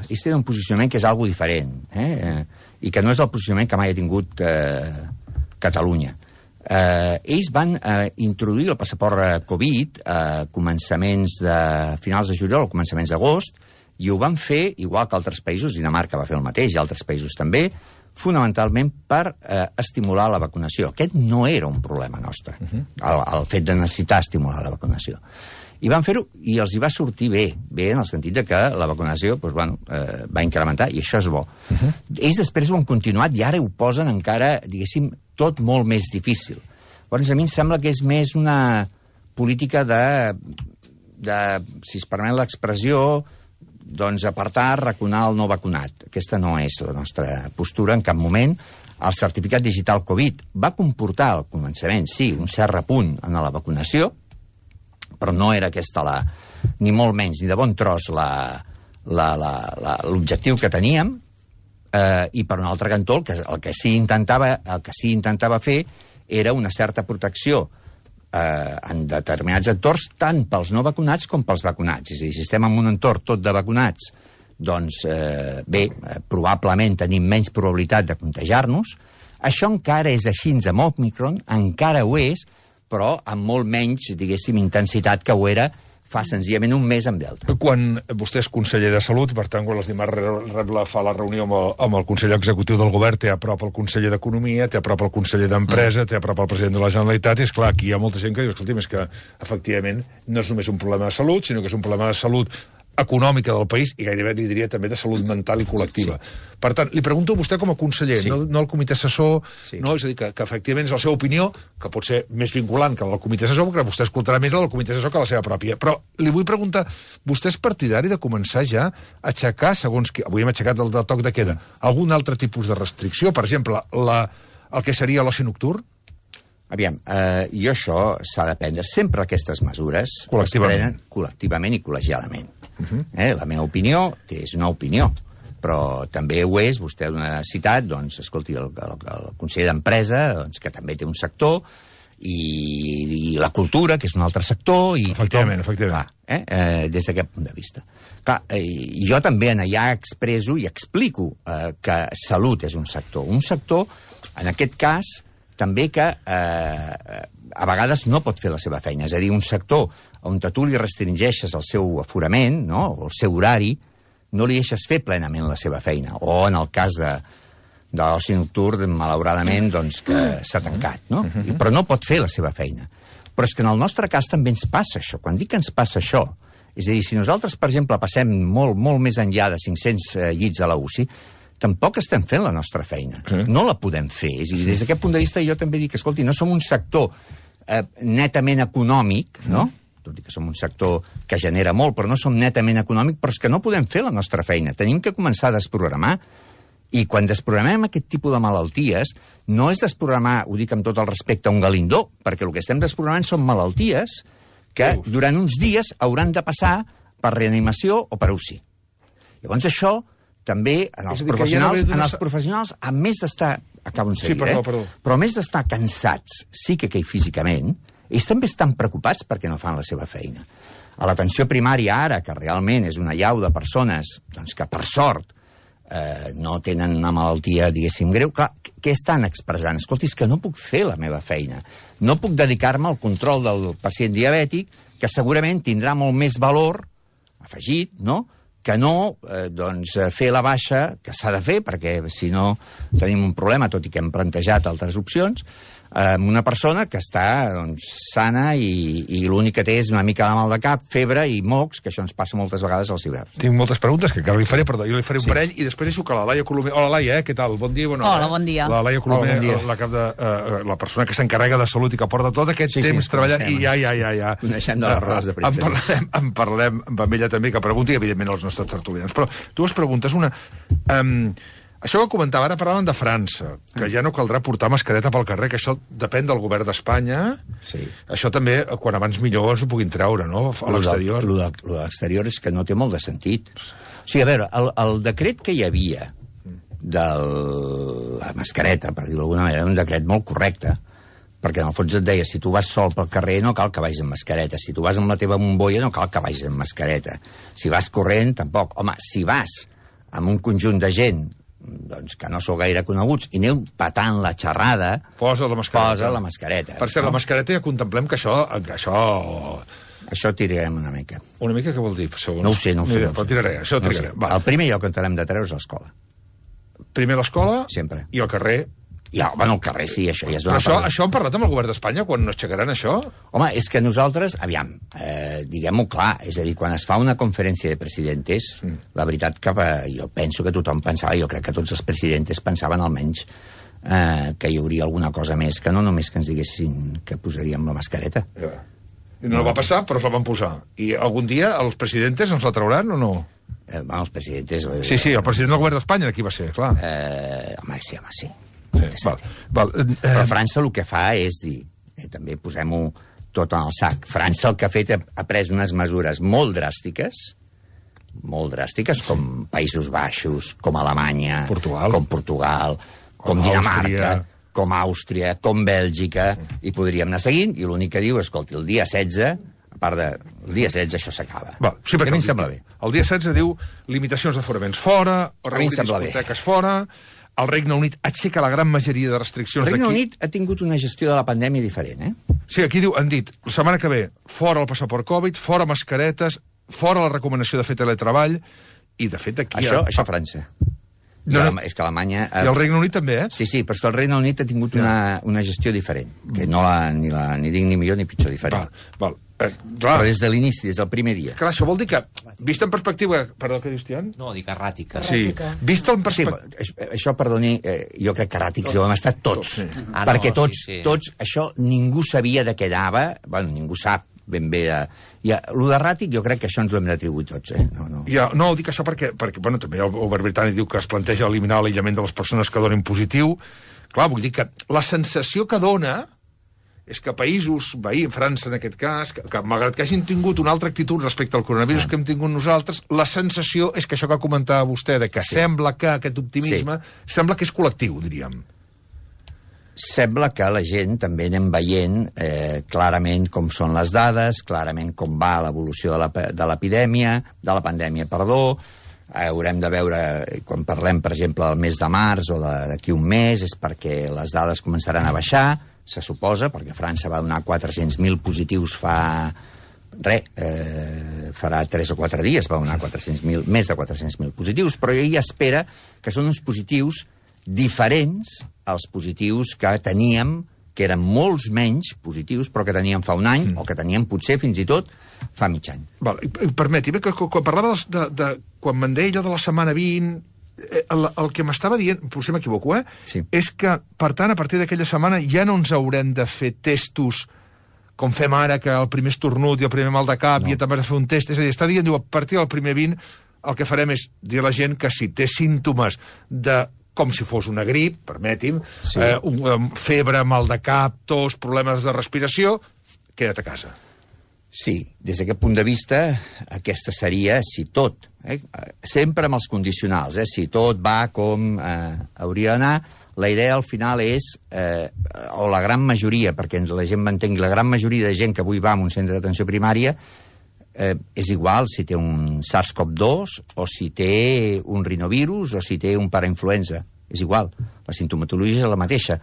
ells tenen un posicionament que és algo diferent, eh? I que no és el posicionament que mai ha tingut eh, Catalunya. Eh, ells van eh, introduir el passaport Covid a eh, començaments de finals de juliol o començaments d'agost, i ho van fer, igual que altres països, Dinamarca va fer el mateix, i altres països també, fonamentalment per eh, estimular la vacunació. Aquest no era un problema nostre, uh-huh. el, el fet de necessitar estimular la vacunació. I van fer-ho, i els hi va sortir bé, bé en el sentit de que la vacunació doncs, bueno, eh, va incrementar, i això és bo. Uh-huh. Ells després ho han continuat i ara ho posen encara, diguéssim, tot molt més difícil. Llavors, a mi em sembla que és més una política de, de si es permet l'expressió, doncs apartar, raconar el no vacunat. Aquesta no és la nostra postura en cap moment. El certificat digital Covid va comportar al començament, sí, un cert repunt en la vacunació, però no era aquesta la, ni molt menys, ni de bon tros l'objectiu que teníem, eh, i per un altre cantó el que, el que sí intentava, el que sí intentava fer era una certa protecció eh, en determinats entorns, tant pels no vacunats com pels vacunats. És a dir, si estem en un entorn tot de vacunats, doncs eh, bé, eh, probablement tenim menys probabilitat de contagiar-nos. Això encara és així amb Omicron, encara ho és, però amb molt menys, diguéssim, intensitat que ho era fa senzillament un mes amb Delta. Quan vostè és conseller de Salut, i per tant, quan els dimarts rep la, fa la reunió amb el, amb el conseller executiu del govern, té a prop el conseller d'Economia, té a prop el conseller d'Empresa, mm. té a prop el president de la Generalitat, i és clar, aquí hi ha molta gent que diu, escolti, és que efectivament no és només un problema de salut, sinó que és un problema de salut econòmica del país i gairebé li diria també de salut mental i col·lectiva. Sí. Per tant, li pregunto a vostè com a conseller, sí. no, no al comitè assessor, sí. no, és a dir, que, que efectivament és la seva opinió, que pot ser més vinculant que la del comitè assessor, perquè vostè escoltarà més la del comitè assessor que la seva pròpia. Però li vull preguntar, vostè és partidari de començar ja a aixecar, segons que avui hem aixecat el del toc de queda, algun altre tipus de restricció? Per exemple, la, el que seria l'oci nocturn? Aviam, eh, jo això s'ha de prendre. Sempre aquestes mesures es prenen col·lectivament i col·legialament. Uh-huh. eh, la meva opinió és una opinió, però també ho és, vostè ha citat, doncs, escolti, el, el, el conseller d'Empresa, doncs, que també té un sector, i, i la cultura, que és un altre sector, i efectivament, tothom, efectivament. Clar, eh, eh, des d'aquest punt de vista. Clar, eh, jo també allà expresso i explico eh, que salut és un sector. Un sector, en aquest cas, també que eh, a vegades no pot fer la seva feina. És a dir, un sector on tu li restringeixes el seu aforament, no?, o el seu horari, no li deixes fer plenament la seva feina. O en el cas de, de l'oci nocturn, malauradament, doncs, que s'ha tancat, no? I, però no pot fer la seva feina. Però és que en el nostre cas també ens passa això. Quan dic que ens passa això, és a dir, si nosaltres, per exemple, passem molt, molt més enllà de cinc-cents eh, llits a la U C I, tampoc estem fent la nostra feina. Sí. No la podem fer. És a dir, des d'aquest punt de vista jo també dic, escolti, no som un sector eh, netament econòmic, no? Mm. Tot i que som un sector que genera molt, però no som netament econòmic, però és que no podem fer la nostra feina. Tenim que començar a desprogramar. I quan desprogramem aquest tipus de malalties, no és desprogramar, ho dic amb tot el respecte, un galindó, perquè el que estem desprogramant són malalties que durant uns dies hauran de passar per reanimació o per U C I. Llavors això també en els professionals, en els professionals, a més d'estar, acabo en seguida, sí, perdó, perdó. Eh? però a més d'estar cansats psíquica i físicament, ells també estan preocupats perquè no fan la seva feina. A l'atenció primària ara, que realment és una llau de persones doncs, que per sort eh, no tenen una malaltia, diguéssim, greu, clar, què estan expressant? Escolti, és que no puc fer la meva feina. No puc dedicar-me al control del pacient diabètic, que segurament tindrà molt més valor afegit, no?, que no eh, doncs, fer la baixa, que s'ha de fer, perquè si no tenim un problema, tot i que hem plantejat altres opcions, amb una persona que està doncs, sana i, i l'únic que té és una mica de mal de cap, febre i mocs, que això ens passa moltes vegades als hiverns. Tinc moltes preguntes que encara li faré, perdó, jo li faré un sí. parell i després deixo que la Laia Colomer... Hola, Laia, eh? Què tal? Bon dia i bona hora. Hola, bon dia. La Laia Colomer, Hola, bon dia. la, cap de, uh, la persona que s'encarrega de salut i que porta tot aquest sí, temps sí, treballant coneixem, i ja, ja, ja, ja. Coneixem de les rodes de premsa. En parlem, en parlem amb ella també, que pregunti, evidentment, als nostres tertulians. Però dues preguntes. Una... Um, Això que comentava, ara parlaven de França, que ja no caldrà portar mascareta pel carrer, que això depèn del govern d'Espanya. Sí. Això també, quan abans millor, ens ho puguin treure, no?, a l'exterior. Lo de l'exterior és que no té molt de sentit. O sigui, a veure, el, el decret que hi havia de la mascareta, per dir-ho d'alguna manera, era un decret molt correcte, perquè en el fons et deia, si tu vas sol pel carrer no cal que vagis amb mascareta, si tu vas amb la teva bombolla no cal que vagis amb mascareta, si vas corrent tampoc. Home, si vas amb un conjunt de gent doncs que no sou gaire coneguts i aneu patant la xerrada, posa la mascareta. Posa la mascareta. Per cert, no? La mascareta ja contemplem que això... Que això... Això tirarem una mica. Una mica què vol dir? Segons... No ho sé, no ho sé. Mira, no però tiraré, això no tiraré. Sé. El primer lloc on t'hem de treure és l'escola. Primer l'escola sempre. I al carrer... Ja, bueno, al carrer sí, això ja es dona... Però això, això han parlat amb el govern d'Espanya quan no aixecaran això? Home, és que nosaltres, aviam, eh, diguem-ho clar, és a dir, quan es fa una conferència de presidentes, mm. la veritat que eh, jo penso que tothom pensava, jo crec que tots els presidentes pensaven almenys eh, que hi hauria alguna cosa més, que no només que ens diguessin que posaríem la mascareta. Ja. I no, no va passar, però es la van posar. I algun dia els presidentes ens la trauran o no? Eh, bueno, els presidentes... Eh, sí, sí, el president del govern d'Espanya, qui va ser, clar. Eh, home, sí, home, sí. Sí, val, val. Eh, Però França el que fa és dir, eh, també posem-ho tot en el sac, França el que ha fet ha pres unes mesures molt dràstiques, molt dràstiques, com Països Baixos, com Alemanya, Portugal. com Portugal, com, com Dinamarca, Àustria. com Àustria, com Bèlgica, i podríem anar seguint, i l'únic que diu, escolti, el dia setze, a part de... El dia setze això s'acaba. Sí, a mi em sembla bé. El dia setze diu limitacions d'aforaments fora, a mi em sembla bé. Discoteques fora... El Regne Unit aixeca la gran majoria de restriccions d'aquí. El Regne Unit ha tingut una gestió de la pandèmia diferent, eh? Sí, aquí diu, han dit, la setmana que ve, fora el passaport Covid, fora mascaretes, fora la recomanació de fer teletreball, i de fet aquí... Això, ha... això a França. No, no. És que Alemanya... I el Regne Unit també, eh? Sí, sí, però és que el Regne Unit ha tingut una, una gestió diferent, que no la, ni, la, ni dic ni millor ni pitjor, diferent. Val, val. Eh, clar. Però des de l'inici, des del primer dia. Clar, això vol dir que, vist en perspectiva... Perdó, què dius, Tian? No, dic erràtica. Sí, vist en perspectiva... Sí, això, perdoni, eh, jo crec que erràtics ho hem estat tots. tots sí. Ah, perquè no, tots, sí, sí. tots, això ningú sabia de què anava, bueno, ningú sap ben bé... De... Ja, lo d'erràtic jo crec que això ens ho hem d'atribuir tots, eh? No, no. Ja, no, dic això perquè, perquè bueno, també el govern britànic diu que es planteja eliminar l'aïllament de les persones que donen positiu. Clar, vull dir que la sensació que dona és que països, veí, França en aquest cas, que, que malgrat que hagin tingut una altra actitud respecte al coronavirus ah. que hem tingut nosaltres, la sensació és que això que comentava vostè, de que sí. sembla que aquest optimisme, sí. sembla que és col·lectiu, diríem. Sembla que la gent també anem veient eh, clarament com són les dades, clarament com va l'evolució de l'epidèmia, de la pandèmia, perdó. Eh, haurem de veure, quan parlem, per exemple, del mes de març o d'aquí un mes, és perquè les dades començaran a baixar, se suposa, perquè França va donar quatre-cents mil positius fa... Re, eh, farà tres o quatre dies va donar quatre-cents mil, més de quatre-cents mil positius, però ell espera que són uns positius diferents als positius que teníem, que eren molts menys positius, però que teníem fa un any, mm. o que teníem potser fins i tot fa mig any. Val, permeti, que quan parlava de, de, de quan me'n deia allò de la setmana vint, el, el que m'estava dient, potser m'equivoco, eh? Sí. És que, per tant, a partir d'aquella setmana ja no ens haurem de fer testos com fem ara, que el primer estornut i el primer mal de cap, no. I també has de fer un test. És a dir, està dient, diu, a partir del primer vint, el que farem és dir a la gent que si té símptomes de com si fos una grip, permeti'm, sí. eh, un, um, febre, mal de cap, tos, problemes de respiració, queda't a casa. Sí, des d'aquest punt de vista, aquesta seria, si tot, eh, sempre amb els condicionals, eh, si tot va com eh, hauria d'anar, la idea al final és, eh, o la gran majoria, perquè la gent m'entengui, la gran majoria de gent que avui va a un centre d'atenció primària, Eh, és igual si té un SARS CoV dos o si té un rinovirus o si té un parainfluenza. És igual. La sintomatologia és la mateixa.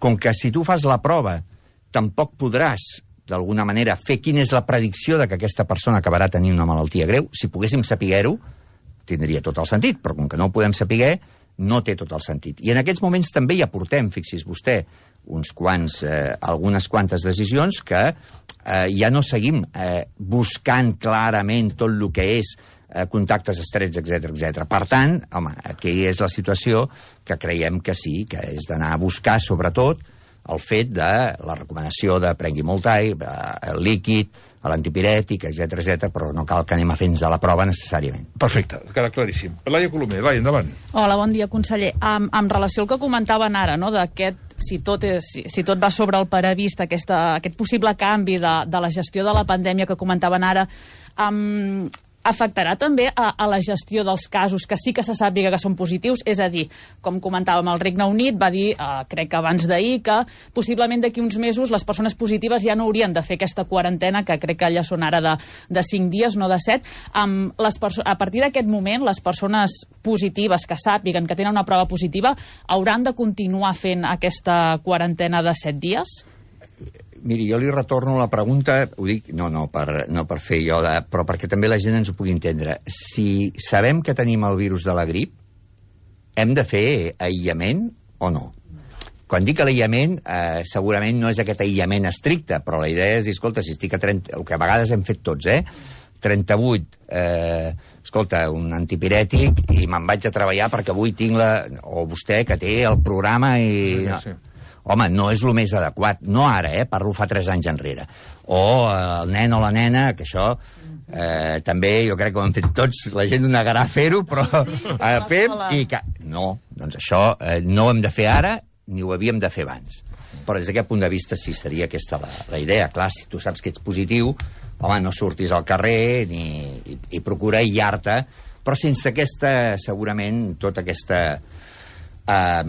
Com que si tu fas la prova tampoc podràs, d'alguna manera, fer quina és la predicció de que aquesta persona acabarà tenint una malaltia greu. Si poguéssim saber-ho, tindria tot el sentit, però com que no ho podem saber, no té tot el sentit. I en aquests moments també hi aportem, fixi's vostè, uns quants, eh, algunes quantes decisions que eh, ja no seguim eh, buscant clarament tot el que és eh, contactes estrets, etcètera, etcètera. Per tant, home, aquí és la situació que creiem que sí, que és d'anar a buscar, sobretot, el fet de la recomanació de prengui molt aigua, el líquid, l'antipirètic, etcètera, etcètera, però no cal que anem a fer-nos a la prova necessàriament. Perfecte, queda claríssim. Laia Colomer, Laia, endavant. Hola, bon dia, conseller. En, en relació al que comentaven ara, no?, d'aquest si tot, és, si, si tot va sobre el previst, aquesta, aquest possible canvi de, de la gestió de la pandèmia que comentaven ara, um, afectarà també a, a la gestió dels casos que sí que se sàpiga que són positius? És a dir, com comentàvem, el Regne Unit va dir, eh, crec que abans d'ahir, que possiblement d'aquí uns mesos les persones positives ja no haurien de fer aquesta quarantena, que crec que ja són ara de, de cinc dies, no de set. Um, les a partir d'aquest moment, les persones positives que sàpiguen que tenen una prova positiva hauran de continuar fent aquesta quarantena de set dies? Miri, jo li retorno la pregunta, ho dic, no, no, per, no per fer jo, de, però perquè també la gent ens ho pugui entendre. Si sabem que tenim el virus de la grip, hem de fer aïllament o no? Quan dic l'aïllament, eh, segurament no és aquest aïllament estricte, però la idea és dir, escolta, si estic a trenta, el que a vegades hem fet tots, eh? trenta-vuit, eh, escolta, un antipirètic i me'n vaig a treballar perquè avui tinc la... O vostè, que té el programa i... Sí, sí. Home, no és el més adequat. No ara, eh? Parlo fa tres anys enrere. O el nen o la nena, que això eh, també jo crec que ho hem fet tots, la gent ho negarà a fer-ho, però eh, fem i... Que... No, doncs això eh, no ho hem de fer ara ni ho havíem de fer abans. Però des d'aquest punt de vista sí seria aquesta la, la idea. Clar, si tu saps que ets positiu, home, no surtis al carrer ni, i, i procura aïllar-te, però sense aquesta, segurament, tota aquesta... Eh,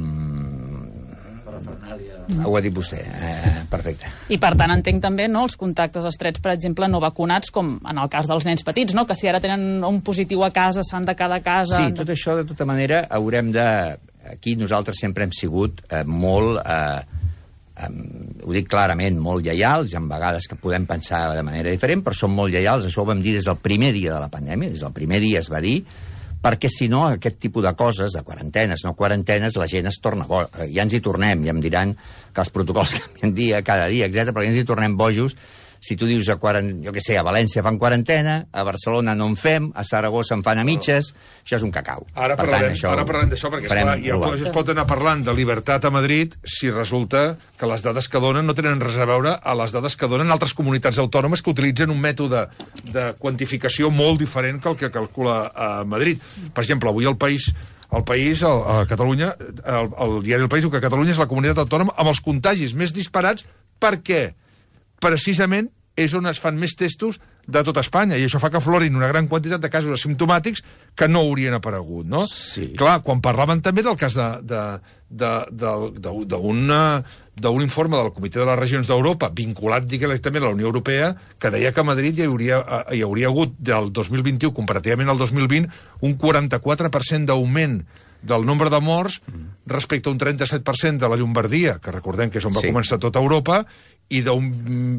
ho ha dit vostè, eh, perfecte. I per tant entenc també, no, els contactes estrets, per exemple, no vacunats, com en el cas dels nens petits, no?, que si ara tenen un positiu a casa s'han de quedar a casa... Sí, tot això, de tota manera, haurem de... Aquí nosaltres sempre hem sigut eh, molt, eh, eh, ho dic clarament, molt lleials, en vegades que podem pensar de manera diferent, però som molt lleials, això ho vam dir des del primer dia de la pandèmia, des del primer dia es va dir, perquè si no, aquest tipus de coses, de quarantenes, no quarantenes, la gent es torna boja. Ja ens hi tornem, ja em diran que els protocols canvien dia, cada dia, etcètera, però ja ens hi tornem bojos. Si tu dius, a quarant... jo què sé, a València fan quarantena, a Barcelona no en fem, a Saragossa en fan a mitges, això és un cacau. Ara per parlarem, tant, això ara parlarem d'això, perquè esclar, ja es pot anar parlant de llibertat a Madrid si resulta que les dades que donen no tenen res a veure a les dades que donen altres comunitats autònomes que utilitzen un mètode de quantificació molt diferent que el que calcula a Madrid. Per exemple, avui el País... El País, el, a Catalunya, el, el diari El País diu que Catalunya és la comunitat autònoma amb els contagis més disparats. Per què? Precisament és on es fan més testos de tota Espanya, i això fa que aflorin una gran quantitat de casos asimptomàtics que no haurien aparegut, no? Sí. Clar, quan parlaven també del cas d'un informe del Comitè de les Regions d'Europa, vinculat directament a la Unió Europea, que deia que a Madrid hi hauria, hi hauria hagut del dos mil vint-i-u, comparativament al dos mil vint, un quaranta-quatre per cent d'augment del nombre de morts respecte a un trenta-set per cent de la Llombardia, que recordem que és on va Sí. començar tota Europa, i d'un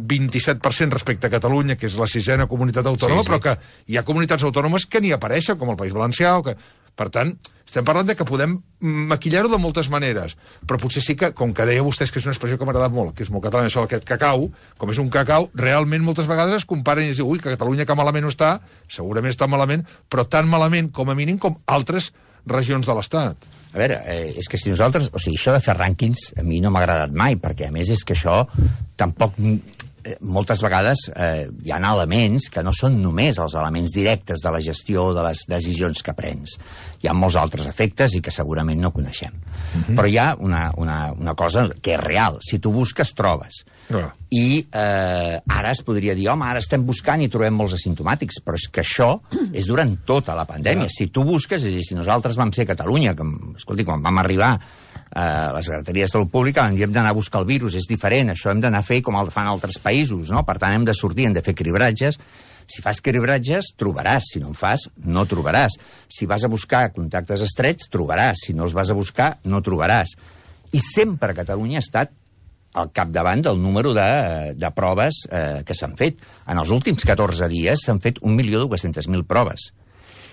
vint-i-set per cent respecte a Catalunya, que és la sisena comunitat autònoma, Sí, sí. però que hi ha comunitats autònomes que ni apareixen, com el País Valencià, o que... Per tant, estem parlant de que podem maquillar-ho de moltes maneres, però potser sí que, com que deia vostès que és una expressió que m'ha agradat molt, que és molt catalana, això d'aquest cacau, com és un cacau, realment moltes vegades es comparen i es diu, ui, que Catalunya que malament no està, segurament està malament, però tan malament, com a mínim, com altres regions de l'Estat. A veure, eh, és que si nosaltres... O sigui, això de fer rànquings a mi no m'ha agradat mai, perquè a més és que això tampoc... Eh, moltes vegades eh, hi ha elements que no són només els elements directes de la gestió de les decisions que prens. Hi ha molts altres efectes i que segurament no coneixem. Uh-huh. Però hi ha una, una, una cosa que és real. Si tu busques, trobes. Uh. I eh, ara es podria dir, home, ara estem buscant i trobem molts asimptomàtics, però és que això és durant tota la pandèmia. Uh. Si tu busques, és a dir, si nosaltres vam ser a Catalunya, que, escolti, quan vam arribar Uh, la Secretaria de Salut Pública vam dir hem d'anar a buscar el virus, és diferent, això hem d'anar a fer com el fan altres països, no? Per tant hem de sortir, hem de fer cribratges. Si fas cribratges, trobaràs, si no en fas, no trobaràs. Si vas a buscar contactes estrets, trobaràs, si no els vas a buscar, no trobaràs. I sempre Catalunya ha estat al capdavant del número de, de proves eh, que s'han fet. En els últims catorze dies s'han fet un milió dues-centes mil proves.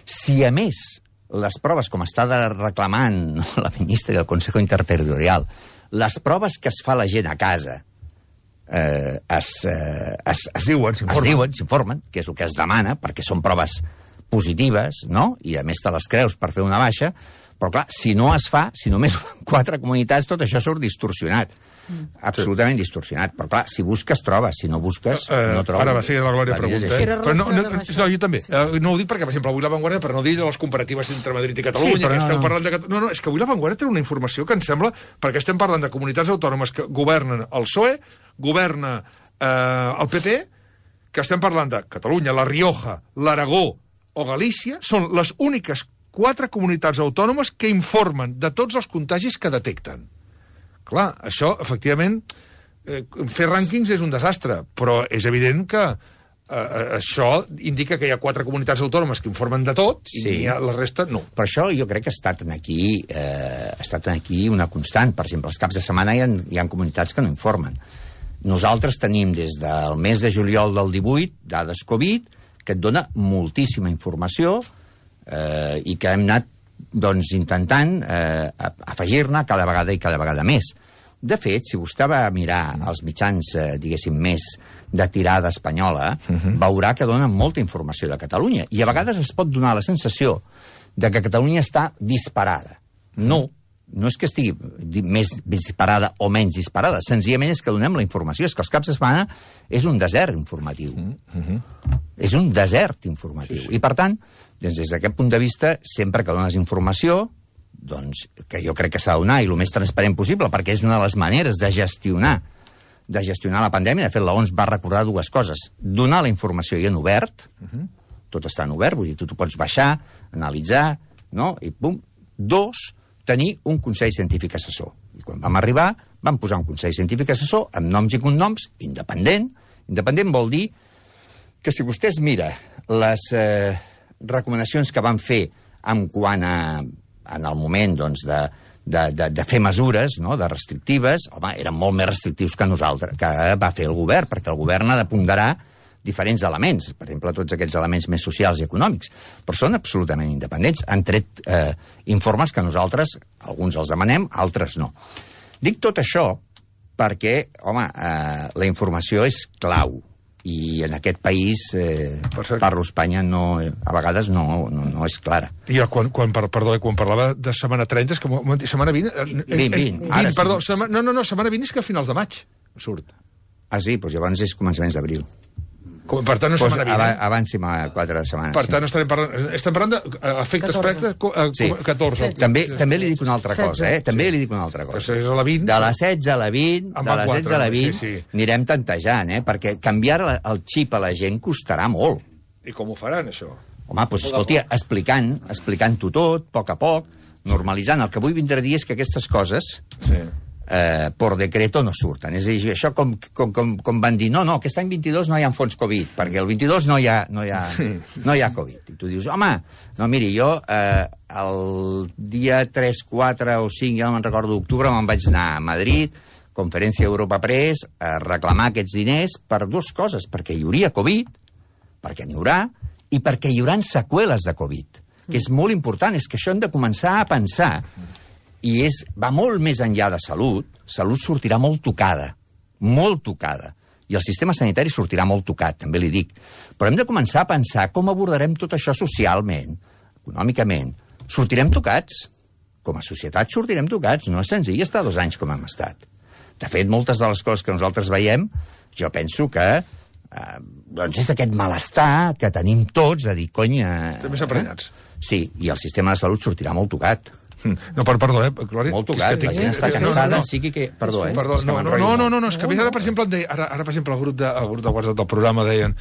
Si a més les proves, com està reclamant no, la ministra del Consejo Interterritorial, les proves que es fa la gent a casa eh, es, eh, es, es, diuen, es diuen, s'informen, que és el que es demana, perquè són proves positives, no? I a més te les creus per fer una baixa, però clar, si no es fa, si només quatre comunitats, tot això surt distorsionat. Mm. Absolutament sí. distorsionat. Però clar, si busques, trobes. Si no busques, uh, no trobes. Ara va ser la Glòria pregunta. Eh? Era Però no, no, relacionat amb no, jo també. Uh, no ho dic perquè, per exemple, avui La Vanguardia, per no dir de les comparatives entre Madrid i Catalunya, Sí, però que no, esteu no. parlant de... Cat- No, no, és que avui La Vanguardia té una informació que em sembla, perquè estem parlant de comunitats autònomes que governen el P S O E, governa eh, el P P, que estem parlant de Catalunya, La Rioja, l'Aragó o Galícia, són les úniques quatre comunitats autònomes que informen de tots els contagis que detecten. Clar, això, efectivament, eh, fer rànquings és un desastre, però és evident que eh, això indica que hi ha quatre comunitats autònomes que informen de tot i Sí. ha, la resta no. Per això jo crec que ha estat aquí, eh, ha estat aquí una constant. Per exemple, els caps de setmana hi ha, hi ha comunitats que no informen. Nosaltres tenim des del mes de juliol del divuit dades Covid que et dona moltíssima informació eh, i que hem anat doncs, intentant eh, afegir-ne cada vegada i cada vegada més. De fet, si vostè va a mirar els mitjans, eh, diguéssim, més de tirada espanyola, uh-huh. veurà que donen molta informació de Catalunya. I a vegades es pot donar la sensació de que Catalunya està disparada. No, no és que estigui di- més disparada o menys disparada, senzillament és que donem la informació. És que els caps de setmana és un desert informatiu. Uh-huh. És un desert informatiu. Sí, sí. I, per tant, des d'aquest punt de vista, sempre que dones informació, doncs, que jo crec que s'ha de donar, i el més transparent possible, perquè és una de les maneres de gestionar de gestionar la pandèmia. De fet, l'O M S va recordar dues coses. Donar la informació i en obert, uh-huh. tot està en obert, vull dir, tu t'ho pots baixar, analitzar, no? I pum. Dos, tenir un Consell Científic Assessor. I quan vam arribar, vam posar un Consell Científic Assessor amb noms i cognoms, independent. Independent vol dir que si vostè es mira les eh, recomanacions que van fer en quant a en el moment doncs, de, de, de, de fer mesures, no?, de restrictives, home, eren molt més restrictius que nosaltres, que va fer el govern, perquè el govern ha de ponderar diferents elements, per exemple, tots aquests elements més socials i econòmics, però són absolutament independents. Han tret eh, informes que nosaltres, alguns els demanem, altres no. Dic tot això perquè, home, eh, la informació és clau, i en aquest país, eh, parlo Espanya, no, a vegades no, no, no és clara. I quan, quan, perdó, quan parlava de setmana trenta, és que setmana vint... vint, vint. vint perdó, setmana, no, no, no, setmana vint és que a finals de maig surt. Ah, sí? Doncs llavors és començaments d'abril. Com, per tant, no pues setmana vint. Ab abans sí, quatre setmanes. Per sí. tant, estarem parlant, estem parlant d'efectes pràctics a Sí. catorze. També, també li dic una altra cosa, eh? També sí. li dic una altra cosa. Pues és a la vint. De la setze a la vint, En de van la quatre, setze a la vint, sí, sí. anirem tantejant, eh? Perquè canviar el xip a la gent costarà molt. I com ho faran, això? Home, doncs escolti, explicant, explicant-ho tot, a poc a poc, normalitzant. El que vull vindre a dir és que aquestes coses Sí. eh, por decreto no surten. És a dir, això com, com, com, com van dir, no, no, aquest any vint-i-dos no hi ha fons Covid, perquè el vint-i-dos no hi ha, no hi ha, no hi ha Covid. I tu dius, home, no, miri, jo eh, el dia tres, quatre o cinc, ja no me'n recordo, d'octubre, me'n vaig anar a Madrid, Conferència Europa Press, a reclamar aquests diners per dues coses, perquè hi hauria Covid, perquè n'hi haurà, i perquè hi haurà seqüeles de Covid, que és molt important, és que això hem de començar a pensar. I és, va molt més enllà de salut. Salut sortirà molt tocada, molt tocada. I el sistema sanitari sortirà molt tocat, també li dic. Però hem de començar a pensar com abordarem tot això socialment, econòmicament. Sortirem tocats. Com a societat sortirem tocats. No és senzill estar dos anys com hem estat. De fet, moltes de les coses que nosaltres veiem, jo penso que eh, doncs és aquest malestar que tenim tots, a dir, cony... Eh, També s'aprenyats. Sí, i el sistema de salut sortirà molt tocat. No, per, perdó, eh, Glòria. Molt tocat, la gent està cansada, no, no. sigui que... Perdó, eh? Perdó, no, no, no, no, no, no, és que ara, per exemple, deia, ara, ara, per exemple, el grup de, el grup de WhatsApp del programa deien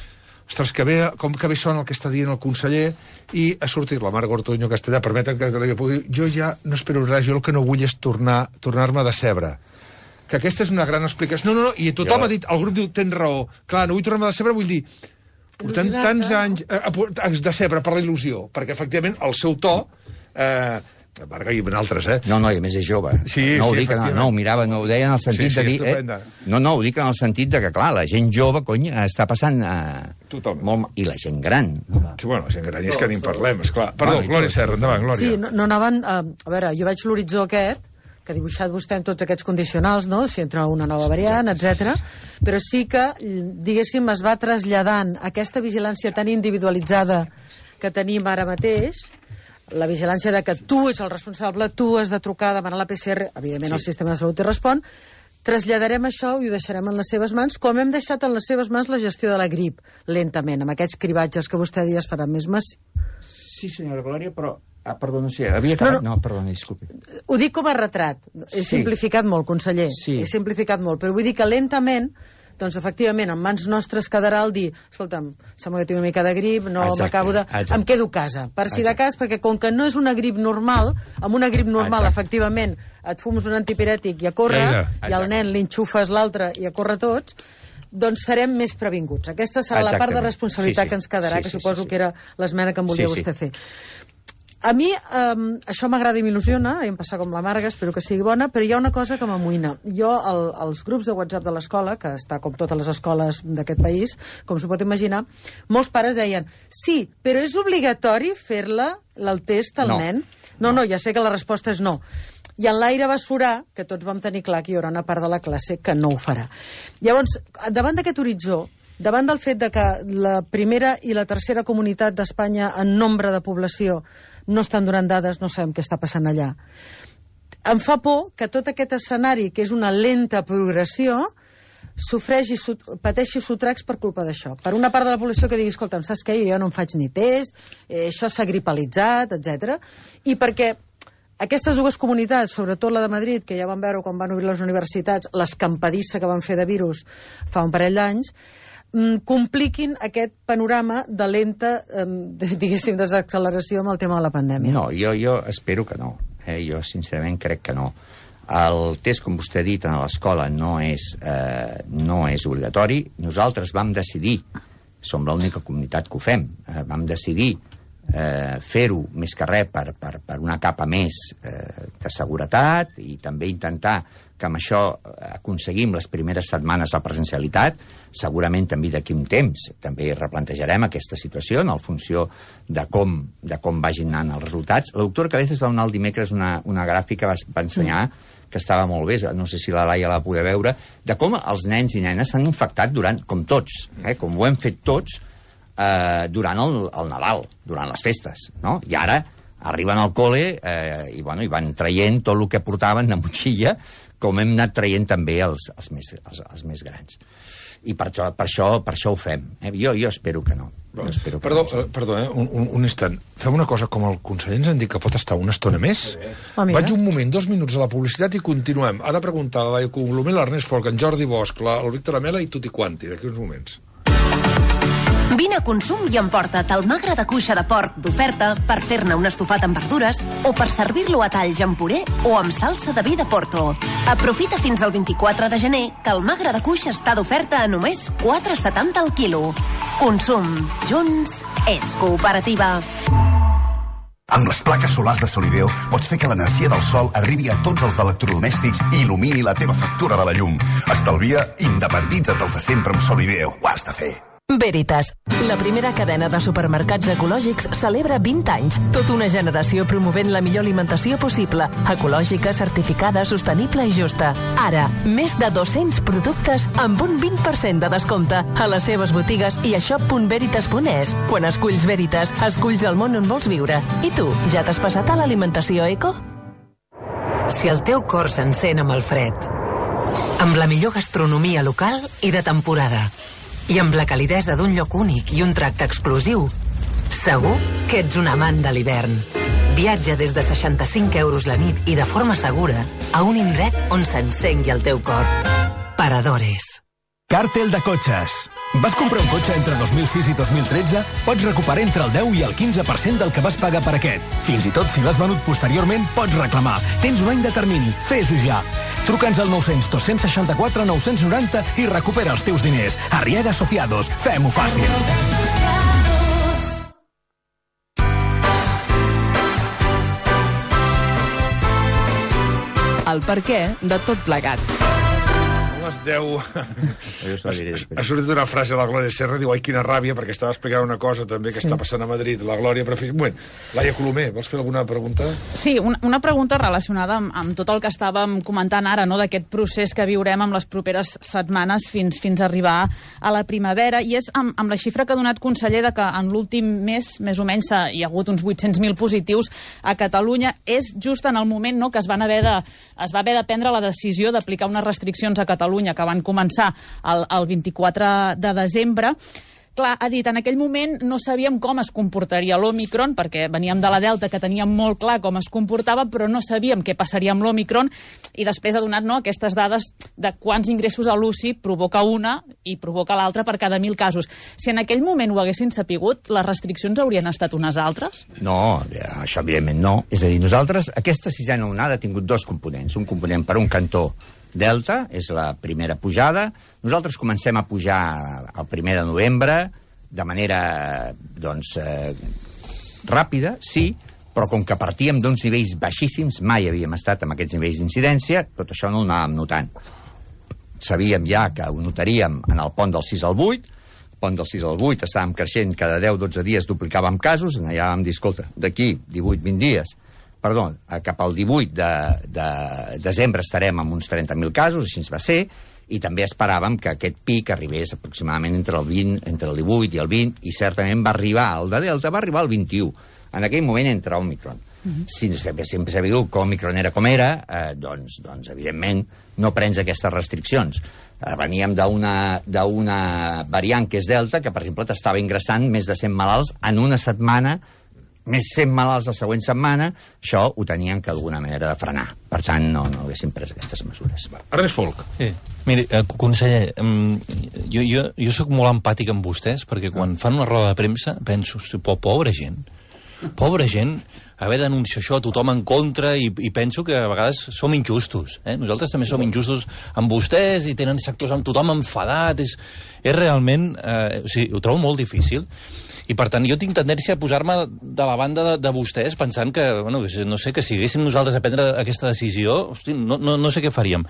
ostres, que bé, com que bé sona el que està dient el conseller, i ha sortit la Marga Ortuño Castellà, permeten que jo pugui... Jo ja no espero res, jo el que no vull és tornar, tornar-me de cebre. Que aquesta és una gran explicació. No, no, no, i tothom jo... ha dit, el grup diu, tens raó. Clar, no vull tornar-me de cebre, vull dir, portem tants anys eh, de cebre per la il·lusió, perquè, efectivament, el seu to... Eh, Marga i altres, eh? No, no, i a més és jove. Sí, no, ho sí, dic, no, no, ho mirava, no ho deia en el sentit sí, sí, de dir... Eh? No, no, ho dic en el sentit de que, clar, la gent jove, cony, està passant... Eh, molt, I la gent gran. Sí, bueno, la gent gran, és que ni en parlem, esclar. Perdó, bueno, Glòria Serra, endavant, Glòria. Sí, no, no anaven... A, a veure, jo veig l'horitzó aquest, que ha dibuixat vostè amb tots aquests condicionals, no?, si entra una nova variant, etcètera. Però sí que, diguéssim, es va traslladant aquesta vigilància tan individualitzada que tenim ara mateix, la vigilància de que tu ets el responsable, tu has de trucar, demanar la P C R, evidentment sí. El sistema de salut hi respon, traslladarem això i ho deixarem en les seves mans, com hem deixat en les seves mans la gestió de la grip, lentament, amb aquests cribatges que vostè dia es faran més massius. Sí, senyora Glòria, però... Ah, perdó, no sé, havia acabat... No, no. no perdó, disculpi. Ho dic com a retrat. He sí. simplificat molt, conseller. Sí. He simplificat molt, però vull dir que lentament... Doncs, efectivament, en mans nostres quedarà el dir escolta'm, sembla que tinc una mica de grip, no m'acabo de... Exacte. Em quedo a casa, per si de cas, perquè com que no és una grip normal, amb una grip normal, exacte. Efectivament, et fumes un antipirètic i a córrer, i al nen li enxufes l'altre i a córrer tots, doncs serem més previnguts. Aquesta serà exactament. La part de responsabilitat sí, sí. que ens quedarà, sí, sí, que suposo sí, sí. que era l'esmena que em volia sí, vostè sí. fer. A mi um, això m'agrada i m'il·lusiona, hem passat com la Marga, espero que sigui bona, però hi ha una cosa que m'amoïna. Jo, el, els grups de WhatsApp de l'escola, que està com totes les escoles d'aquest país, com s'ho pot imaginar, molts pares deien, sí, però és obligatori fer-la, el test al no. nen? No, no, ja sé que la resposta és no. I en l'aire va surar, que tots vam tenir clar que hi haurà una part de la classe que no ho farà. Llavors, davant d'aquest horitzó, davant del fet de que la primera i la tercera comunitat d'Espanya en nombre de població no estan donant dades, no sabem què està passant allà. Em fa por que tot aquest escenari, que és una lenta progressió, sofreixi, pateixi sotracs per culpa d'això. Per una part de la població que digui, escolta'm, saps què? Jo no em faig ni test, eh, això s'ha gripalitzat, etcètera. I perquè aquestes dues comunitats, sobretot la de Madrid, que ja van veure quan van obrir les universitats, l'escampadissa que van fer de virus fa un parell d'anys, compliquin aquest panorama de lenta, eh, diguéssim, desacceleració amb el tema de la pandèmia. No, jo, jo espero que no. Eh? Jo, sincerament, crec que no. El test, com vostè ha dit, a l'escola no, és, eh, no és obligatori. Nosaltres vam decidir, som l'única comunitat que ho fem, eh, vam decidir eh, fer-ho més que res per, per, per una capa més eh, de seguretat i també intentar que amb això aconseguim les primeres setmanes la presencialitat. Segurament també d'aquí un temps també replantejarem aquesta situació en funció de com, de com vagin anant els resultats. La doctora Cabezas va donar el dimecres una, una gràfica, va, va ensenyar que estava molt bé, no sé si la Laia la podia veure, de com els nens i nenes s'han infectat durant, com tots, eh, com ho hem fet tots, eh, durant el, el Nadal, durant les festes, no? I ara arriben al col·le eh, i, bueno, i van traient tot el que portaven de motxilla, com hem anat traient també els, els, més, els, els més grans. I per això, per això, per això ho fem. Eh? Jo, jo espero que no. Jo espero que perdó, no. eh, perdó eh? un, un, un instant. Fem una cosa, com el conseller ens han dit que pot estar una estona més. Ah, vaig un moment, dos minuts a la publicitat i continuem. Ha de preguntar a la Laia Colomer, l'Ernest Folk, en Jordi Bosch, la, el Víctor Amela i tutti quanti, d'aquí uns moments. Vine Vine a Consum i emporta't el magre de cuixa de porc d'oferta per fer-ne un estofat amb verdures o per servir-lo a talls amb puré o amb salsa de vi de Porto. Aprofita fins al vint-i-quatre de gener que el magre de cuixa està d'oferta a només quatre coma setanta el quilo. Consum. Junts és cooperativa. Amb les plaques solars de Solideo pots fer que l'energia del sol arribi a tots els electrodomèstics i il·lumini la teva factura de la llum. Estalvia, independitza't dels de sempre amb Solideo. Ho has de fer. Veritas, la primera cadena de supermercats ecològics celebra vint anys. Tota una generació promovent la millor alimentació possible, ecològica, certificada, sostenible i justa. Ara, més de dos-cents productes amb un vint per cent de descompte a les seves botigues i a shop punt veritas punt es. Quan esculls Veritas, esculls el món on vols viure. I tu, ja t'has passat a l'alimentació eco? Si el teu cor s'encén amb el fred, amb la millor gastronomia local i de temporada, i amb la calidesa d'un lloc únic i un tracte exclusiu, segur que ets un amant de l'hivern. Viatja des de seixanta-cinc euros la nit i de forma segura a un indret on s'encengui el teu cor. Paradores. Càrtel de cotxes. Vas comprar un cotxe entre dos mil sis i dos mil tretze? Pots recuperar entre el deu i el quinze per cent del que vas pagar per aquest. Fins i tot si l'has venut posteriorment, pots reclamar. Tens un any de termini. Fes-ho ja. Truca'ns al nou cents dos cents seixanta-quatre nou cents noranta i recupera els teus diners. Arriaga Asociados. Fem-ho fàcil. El perquè de tot plegat. Les deu... Ha sortit una frase a la Glòria Serra, diu, ai, quina ràbia, perquè estava explicant una cosa també que sí. Està passant a Madrid, la Glòria, però... Un moment, Laia Colomer, vols fer alguna pregunta? Sí, una, una pregunta relacionada amb, amb tot el que estàvem comentant ara, no?, d'aquest procés que viurem amb les properes setmanes fins, fins a arribar a la primavera, i és amb, amb la xifra que ha donat conseller de que en l'últim mes, més o menys, hi ha hagut uns vuit-cents mil positius a Catalunya. És just en el moment, no?, que es, van haver de, es va haver de prendre la decisió d'aplicar unes restriccions a Catalunya que van començar el, el vint-i-quatre de desembre. Clar, ha dit, en aquell moment no sabíem com es comportaria l'Òmicron, perquè veníem de la Delta, que teníem molt clar com es comportava, però no sabíem què passaria amb l'Òmicron, i després ha donat, no, aquestes dades de quants ingressos a l'U C I provoca una i provoca l'altra per cada mil casos. Si en aquell moment ho haguessin sapigut, les restriccions haurien estat unes altres? No, això evidentment no. És a dir, nosaltres, aquesta sisena onada ha tingut dos components. Un component per un cantó Delta, és la primera pujada. Nosaltres comencem a pujar el primer de novembre, de manera, doncs, eh, ràpida, sí, però com que partíem d'uns nivells baixíssims, mai havíem estat amb aquests nivells d'incidència, tot això no ho anàvem notant. Sabíem ja que ho notaríem en el pont del sis al vuit, el pont del sis al vuit estàvem creixent, cada deu dotze dies duplicàvem casos, allà vam dir, escolta, d'aquí divuit vint dies, perdó, cap al divuit de, de desembre estarem amb uns trenta mil casos, així ens va ser, i també esperàvem que aquest pic arribés aproximadament entre el vint, entre el divuit i el vint, i certament va arribar, el de Delta va arribar al vint-i-u. En aquell moment entra Òmicron. Uh-huh. Si sempre s'ha dit que Òmicron era com era, eh, doncs, doncs, evidentment, no prens aquestes restriccions. Eh, veníem d'una d'una variant que és Delta, que, per exemple, t'estava ingressant més de cent malalts en una setmana, més cent malalts la següent setmana, això ho tenien que d'alguna manera de frenar. Per tant, no, no haguéssim pres aquestes mesures. Ernest Folk. Sí. Miri, eh, conseller, jo, jo, jo sóc molt empàtic amb vostès, perquè quan fan una roda de premsa penso, hosti, pobra gent, pobra gent, haver d'anunciar això, tothom en contra, i, i penso que a vegades som injustos. Eh? Nosaltres també som injustos amb vostès i tenen sectors amb tothom enfadat. És, és realment... Eh, o sigui, ho trobo molt difícil. I, per tant, jo tinc tendència a posar-me de la banda de, de vostès pensant que, bueno, no sé, que si haguéssim nosaltres a prendre aquesta decisió, hosti, no, no, no sé què faríem.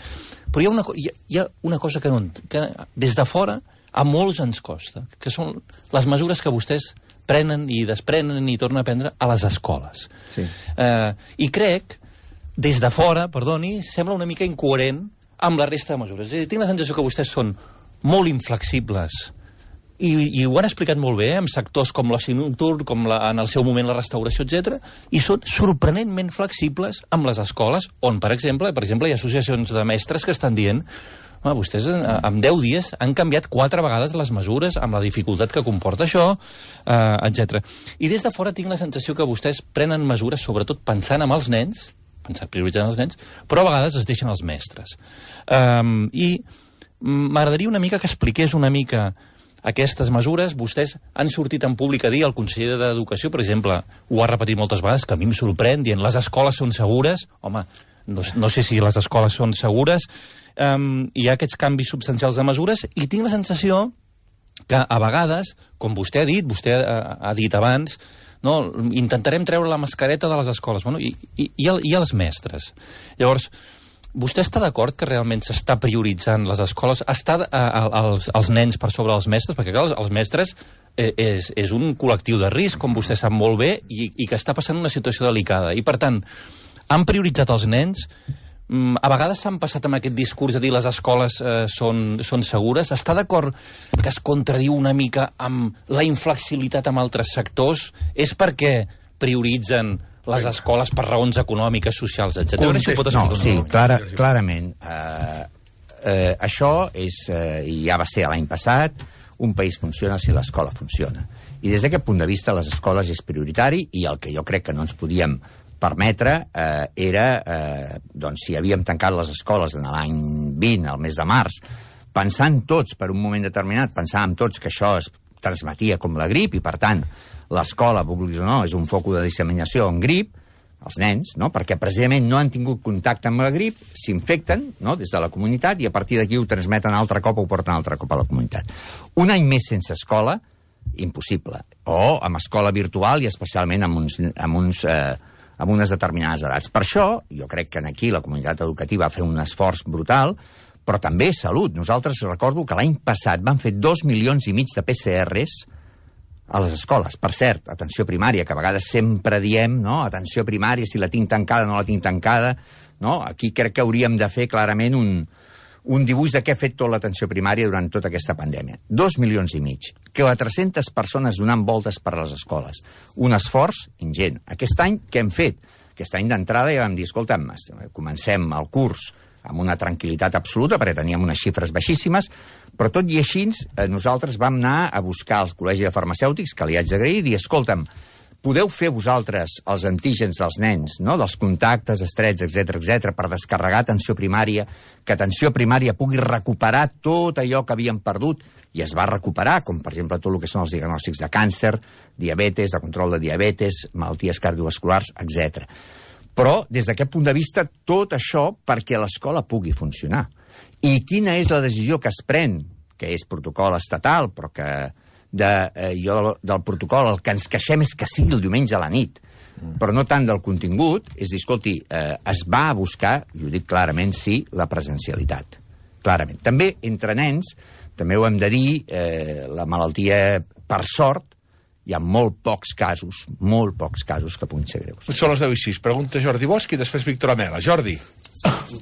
Però hi ha una, hi ha, hi ha una cosa que, no, que des de fora a molts ens costa, que són les mesures que vostès prenen i desprenen i tornen a prendre a les escoles. Sí. Eh, I crec, des de fora, perdoni, sembla una mica incoherent amb la resta de mesures. És a dir, tinc la sensació que vostès són molt inflexibles i, i ho han explicat molt bé, eh, amb sectors com l'oci nocturn, com la, en el seu moment la restauració, etcètera, i són sorprenentment flexibles amb les escoles, on, per exemple, per exemple, hi ha associacions de mestres que estan dient home, vostès en deu dies han canviat quatre vegades les mesures amb la dificultat que comporta això, eh, etcètera. I des de fora tinc la sensació que vostès prenen mesures, sobretot pensant en els nens, pensant prioritzant els nens, però a vegades es deixen els mestres. Um, I m'agradaria una mica que expliqués una mica aquestes mesures, vostès han sortit en públic a dir, el conseller d'Educació, per exemple, ho ha repetit moltes vegades, que a mi em sorprèn, dient les escoles són segures. Home, no, no sé si les escoles són segures. Um, hi ha aquests canvis substancials de mesures i tinc la sensació que a vegades, com vostè ha dit, vostè ha, ha dit abans, no, intentarem treure la mascareta de les escoles, bueno, i, i, i, el, i els mestres. Llavors, vostè està d'acord que realment s'està prioritzant les escoles, està a, a, als, als nens per sobre els mestres? Perquè, clar, els, els mestres eh, és, és un col·lectiu de risc, com vostè sap molt bé, i, i que està passant una situació delicada. I, per tant, han prioritzat els nens? Mm, a vegades s'han passat amb aquest discurs de dir les escoles eh, són, són segures. Està d'acord que es contradiu una mica amb la inflexibilitat amb altres sectors? És perquè prioritzen les escoles per raons econòmiques, socials, etcètera? Context, no, sí, clara, clarament. Uh, uh, això és, uh, i ja va ser l'any passat, un país funciona si l'escola funciona. I des d'aquest punt de vista les escoles és prioritari, i el que jo crec que no ens podíem permetre eh, era, eh, doncs, si havíem tancat les escoles en l'any vint, al mes de març, pensant tots, per un moment determinat, pensàvem tots que això es transmetia com la grip, i per tant, l'escola, vulguis o no, és un foc de disseminació en grip, els nens, no? Perquè precisament no han tingut contacte amb la grip, s'infecten, no?, des de la comunitat, i a partir d'aquí ho transmeten altre cop o ho porten altre cop a la comunitat. Un any més sense escola, impossible. O amb escola virtual i especialment amb, uns, amb, uns, eh, amb unes determinades edats. Per això, jo crec que aquí la comunitat educativa va fer un esforç brutal, però també salut. Nosaltres recordo que l'any passat van fer dos milions i mig de P C Rs a les escoles. Per cert, atenció primària, que a vegades sempre diem, no?, atenció primària, si la tinc tancada o no la tinc tancada, no? Aquí crec que hauríem de fer clarament un, un dibuix de què ha fet tota l'atenció primària durant tota aquesta pandèmia. Dos milions i mig. quatre-centes persones donant voltes per les escoles. Un esforç ingent. Aquest any, què hem fet? Aquest any d'entrada ja vam dir, escolta'm, comencem el curs amb una tranquil·litat absoluta, perquè teníem unes xifres baixíssimes, però tot i així eh, nosaltres vam anar a buscar al Col·legi de Farmacèutics, que li haig d'agrair, i dir, escolta'm, podeu fer vosaltres els antígens dels nens, no?, dels contactes estrets, etcètera, etcètera, per descarregar atenció primària, que atenció primària pugui recuperar tot allò que havien perdut, i es va recuperar, com per exemple tot el que són els diagnòstics de càncer, diabetes, de control de diabetes, malalties cardiovasculars, etcètera. Però, des d'aquest punt de vista, tot això perquè l'escola pugui funcionar. I quina és la decisió que es pren, que és protocol estatal, però que de, eh, jo del protocol el que ens queixem és que sigui el diumenge a la nit, mm. però no tant del contingut, és dir, escolti, eh, es va a buscar, i ho dic clarament, sí, la presencialitat. Clarament. També, entre nens, també ho hem de dir, eh, la malaltia, per sort, hi ha molt pocs casos, molt pocs casos que puguin ser greus. Són les deu i sis. Pregunta Jordi Bosch i després Víctor Amela. Jordi.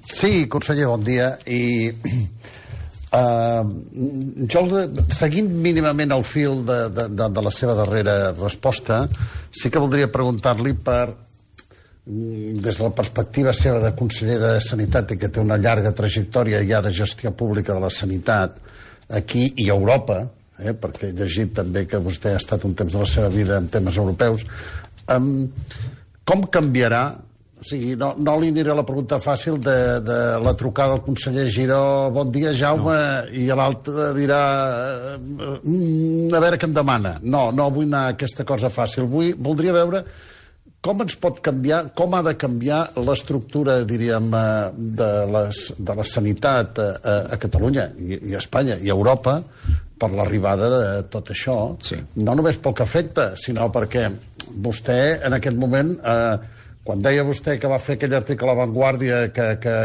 Sí, conseller, bon dia. I uh, jo, seguint mínimament el fil de, de, de, de la seva darrera resposta, sí que voldria preguntar-li per, des de la perspectiva seva de conseller de Sanitat i que té una llarga trajectòria ja de gestió pública de la sanitat aquí i a Europa, Eh, perquè he llegit també que vostè ha estat un temps de la seva vida en temes europeus, um, com canviarà, o sigui, no, no li aniré a la pregunta fàcil de, de la trucada del conseller Giró, bon dia Jaume, no. I l'altre dirà mm, a veure què em demana. No, no vull anar a aquesta cosa fàcil, vull, voldria veure com ens pot canviar, com ha de canviar l'estructura, diríem, de, les, de la sanitat a, a Catalunya i, i a Espanya i a Europa per l'arribada de tot això, sí. No només pel que afecta, sinó perquè vostè en aquest moment, eh, quan deia vostè que va fer aquell article a La Vanguardia que, que,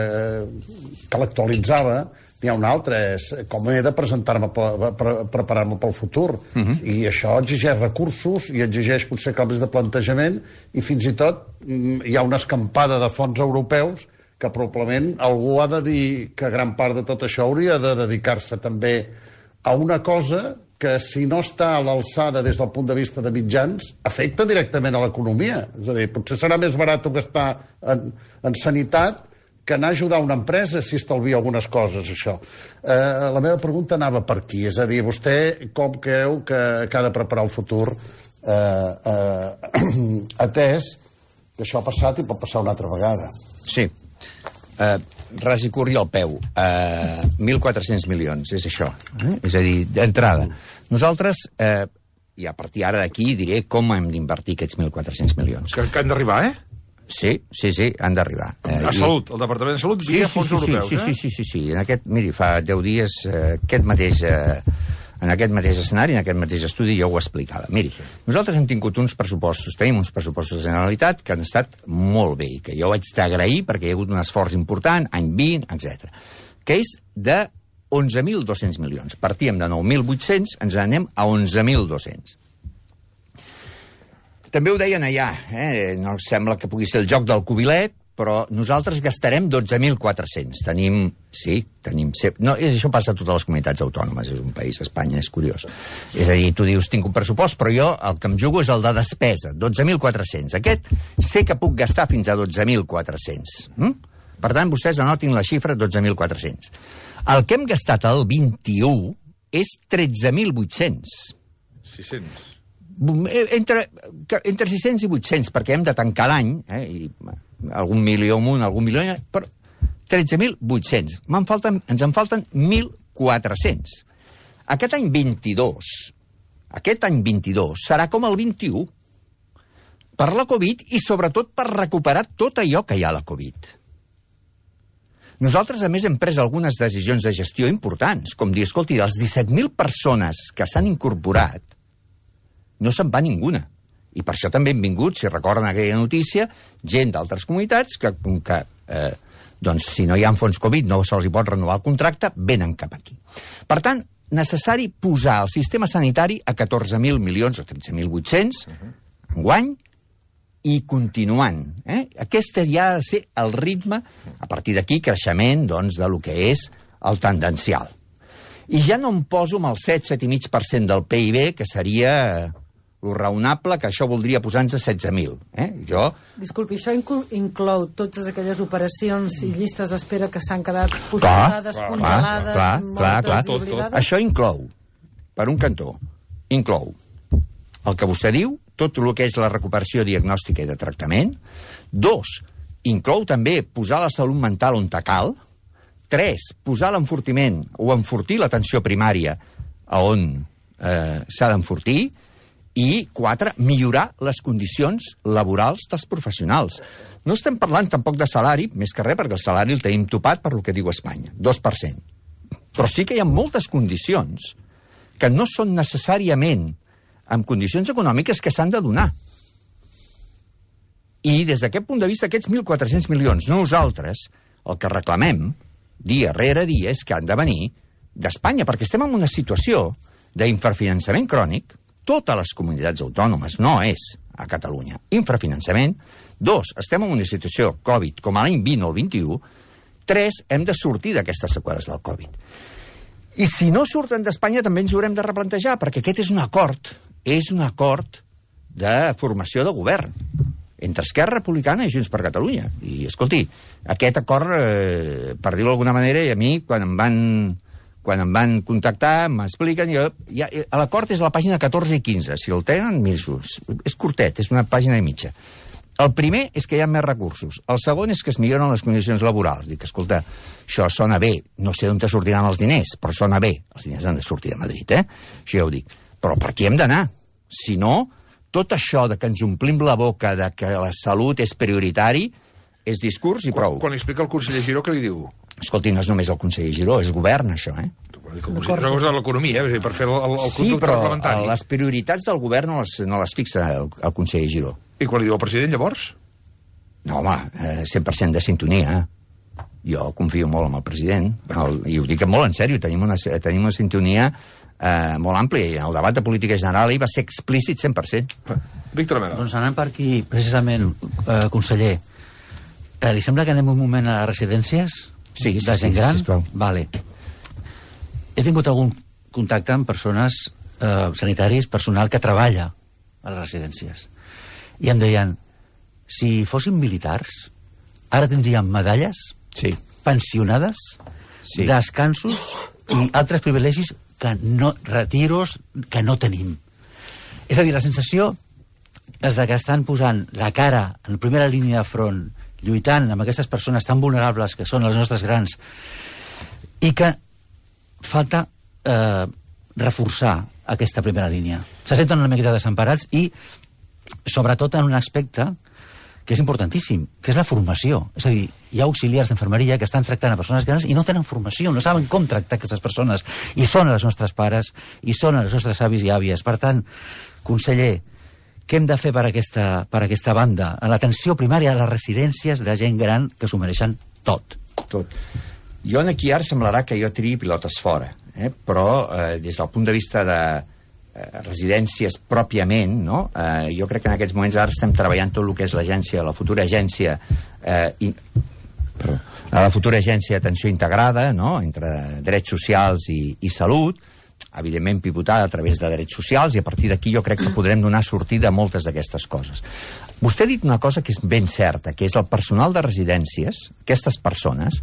que l'actualitzava, n'hi ha un altre, és com he de presentar-me, pre preparar-me pel futur. Uh -huh. I això exigeix recursos i exigeix potser canvis de plantejament i fins i tot hi ha una escampada de fons europeus que probablement algú ha de dir que gran part de tot això hauria de dedicar-se també a una cosa que si no està a l'alçada des del punt de vista de mitjans, afecta directament a l'economia. És a dir, potser serà més barat gastar en, en sanitat que anar a ajudar una empresa si estalvia algunes coses, això. Eh, la meva pregunta anava per aquí, és a dir, vostè com creu que, que ha de preparar el futur eh, eh, atès que això ha passat i pot passar una altra vegada? Sí. Eh, ras i curt i al peu. Eh, mil quatre-cents milions, és això. Eh? És a dir, d'entrada. Nosaltres, eh, i a partir ara d'aquí diré com hem d'invertir aquests mil quatre-cents milions. Que, que han d'arribar, eh? Sí, sí, sí, han d'arribar. Eh, a Salut, el Departament de Salut, via sí, sí, fons sí, europeus, sí, eh? Sí, sí, sí, sí. En aquest, miri, fa deu dies, eh, aquest mateix... Eh, en aquest mateix escenari, en aquest mateix estudi, jo ho explicava. Miri, nosaltres hem tingut uns pressupostos, tenim uns pressupostos de Generalitat que han estat molt bé, i que jo haig d'agrair perquè hi ha hagut un esforç important, any vint, etcètera, que és de onze mil dos-cents milions. Partíem de nou mil vuit-cents, ens anem a onze mil dos-cents. També ho deien allà, eh? No sembla que pugui ser el joc del cubilet, però nosaltres gastarem dotze mil quatre-cents. Tenim, sí, tenim... No, és, això passa a totes les comunitats autònomes, és un país, Espanya, és curiós. És a dir, tu dius, tinc un pressupost, però jo el que em jugo és el de despesa, dotze mil quatre-cents. Aquest sé que puc gastar fins a dotze mil quatre-cents. Mm? Per tant, vostès anotin la xifra dotze mil quatre-cents. El que hem gastat el vint-i-u és tretze mil vuit-cents. sis-cents. Entre, entre sis-cents i vuit-cents, perquè hem de tancar l'any, eh, i algun milió amunt, algun milió... Però tretze mil vuit-cents. Me'n falten, ens en falten mil quatre-cents. Aquest any vint-i-dos, aquest any vint-i-dos serà com el vint-i-u, per la Covid i sobretot per recuperar tot allò que hi ha a la Covid. Nosaltres, a més, hem pres algunes decisions de gestió importants, com dir, escolti, dels disset mil persones que s'han incorporat, no se'n va ninguna. I per això també hem vingut, si recorden aquella notícia, gent d'altres comunitats que, que eh, doncs, si no hi ha fons Covid no se'ls hi pot renovar el contracte, venen cap aquí. Per tant, necessari posar el sistema sanitari a catorze mil milions o tretze mil vuit-cents enguany i continuant. Eh? Aquest ja ha de ser el ritme, a partir d'aquí, creixement doncs, de lo que és el tendencial. I ja no em poso amb el set, set i mig per cent del P I B, que seria lo raonable, que això voldria posar-nos a setze mil. Eh? Jo... Disculpi, això inclou totes aquelles operacions i llistes d'espera que s'han quedat posades, congelades, clar, clar, clar, i oblidades? Això inclou, per un cantó, inclou el que vostè diu, tot el que és la recuperació diagnòstica i de tractament. Dos, inclou també posar la salut mental on cal. Tres, posar l'enfortiment o enfortir l'atenció primària a on eh, s'ha d'enfortir. I, quatre, millorar les condicions laborals dels professionals. No estem parlant tampoc de salari, més que res, perquè el salari el tenim topat per lo que diu Espanya, dos per cent. Però sí que hi ha moltes condicions que no són necessàriament en condicions econòmiques que s'han de donar. I des d'aquest punt de vista, aquests mil quatre-cents milions, nosaltres, el que reclamem, dia rere dia, és que han de venir d'Espanya, perquè estem en una situació d'infrafinançament crònic. Totes les comunitats autònomes, no és a Catalunya. Infrafinançament. Dos, estem en una situació Covid com a l'any vint o el vint-i-u. Tres, hem de sortir d'aquestes seqüeles del Covid. I si no surten d'Espanya també ens ho haurem de replantejar, perquè aquest és un acord, és un acord de formació de govern entre Esquerra Republicana i Junts per Catalunya. I, escolti, aquest acord, eh, per dir-ho d'alguna manera, i a mi, quan em van... quan em van contactar, m'expliquen... Jo, ja, l'acord és a la pàgina catorze i quinze. Si el tenen, miro, és curtet, és una pàgina i mitja. El primer és que hi ha més recursos. El segon és que es milloren les condicions laborals. Dic, escolta, això sona bé. No sé d'on te sortiran els diners, però sona bé. Els diners han de sortir de Madrid, eh? Això ja ho dic. Però per aquí hem d'anar. Si no, tot això de que ens omplim la boca de que la salut és prioritari és discurs i prou. Quan, quan explica el conseller Giró, què li diu? Escolti, no és només el conseller Giró, és govern, això, eh? És una cosa de l'economia, eh? Per fer el, el, el sí, però les prioritats del govern no les, no les fixa el, el conseller Giró. I quan li diu el president, llavors? No, home, eh, cent per cent de sintonia. Jo confio molt en el president, el, i ho dic molt en sèrio, tenim una, tenim una sintonia eh, molt àmplia, i en el debat de política general hi va ser explícit cent per cent. Víctor Amena. Doncs anant per aquí, precisament, eh, conseller, eh, li sembla que anem un moment a les residències? Sí, sí, de gent sí, gran? sisplau. Vale. He tingut algun contacte amb persones eh, sanitaris, personal que treballa a les residències. I em deien, si fóssim militars, ara tindríem medalles, sí, pensionades, sí, descansos i altres privilegis que no, retiros que no tenim. És a dir, la sensació és de que estan posant la cara en primera línia de front, lluitant amb aquestes persones tan vulnerables que són els nostres grans, i que falta eh, reforçar aquesta primera línia. Se senten una miqueta desemparats i, sobretot, en un aspecte que és importantíssim, que és la formació. És a dir, hi ha auxiliars d'infermeria que estan tractant a persones grans i no tenen formació, no saben com tractar aquestes persones. I són els nostres pares, i són els nostres avis i àvies. Per tant, conseller, què hem de fer per aquesta, per aquesta banda? En l'atenció primària a les residències de gent gran que s'ho mereixen tot. Tot. Jo aquí ara semblarà que jo tiri pilotes fora, eh? però eh, des del punt de vista de residències pròpiament, no? Eh, jo crec que en aquests moments ara estem treballant tot el que és l'agència, la futura agència eh, i, perdó, la futura agència d'atenció integrada, no? Entre drets socials i, i salut, evidentment pivotada a través de drets socials, i a partir d'aquí jo crec que podrem donar sortida a moltes d'aquestes coses. Vostè ha dit una cosa que és ben certa, que és el personal de residències, aquestes persones,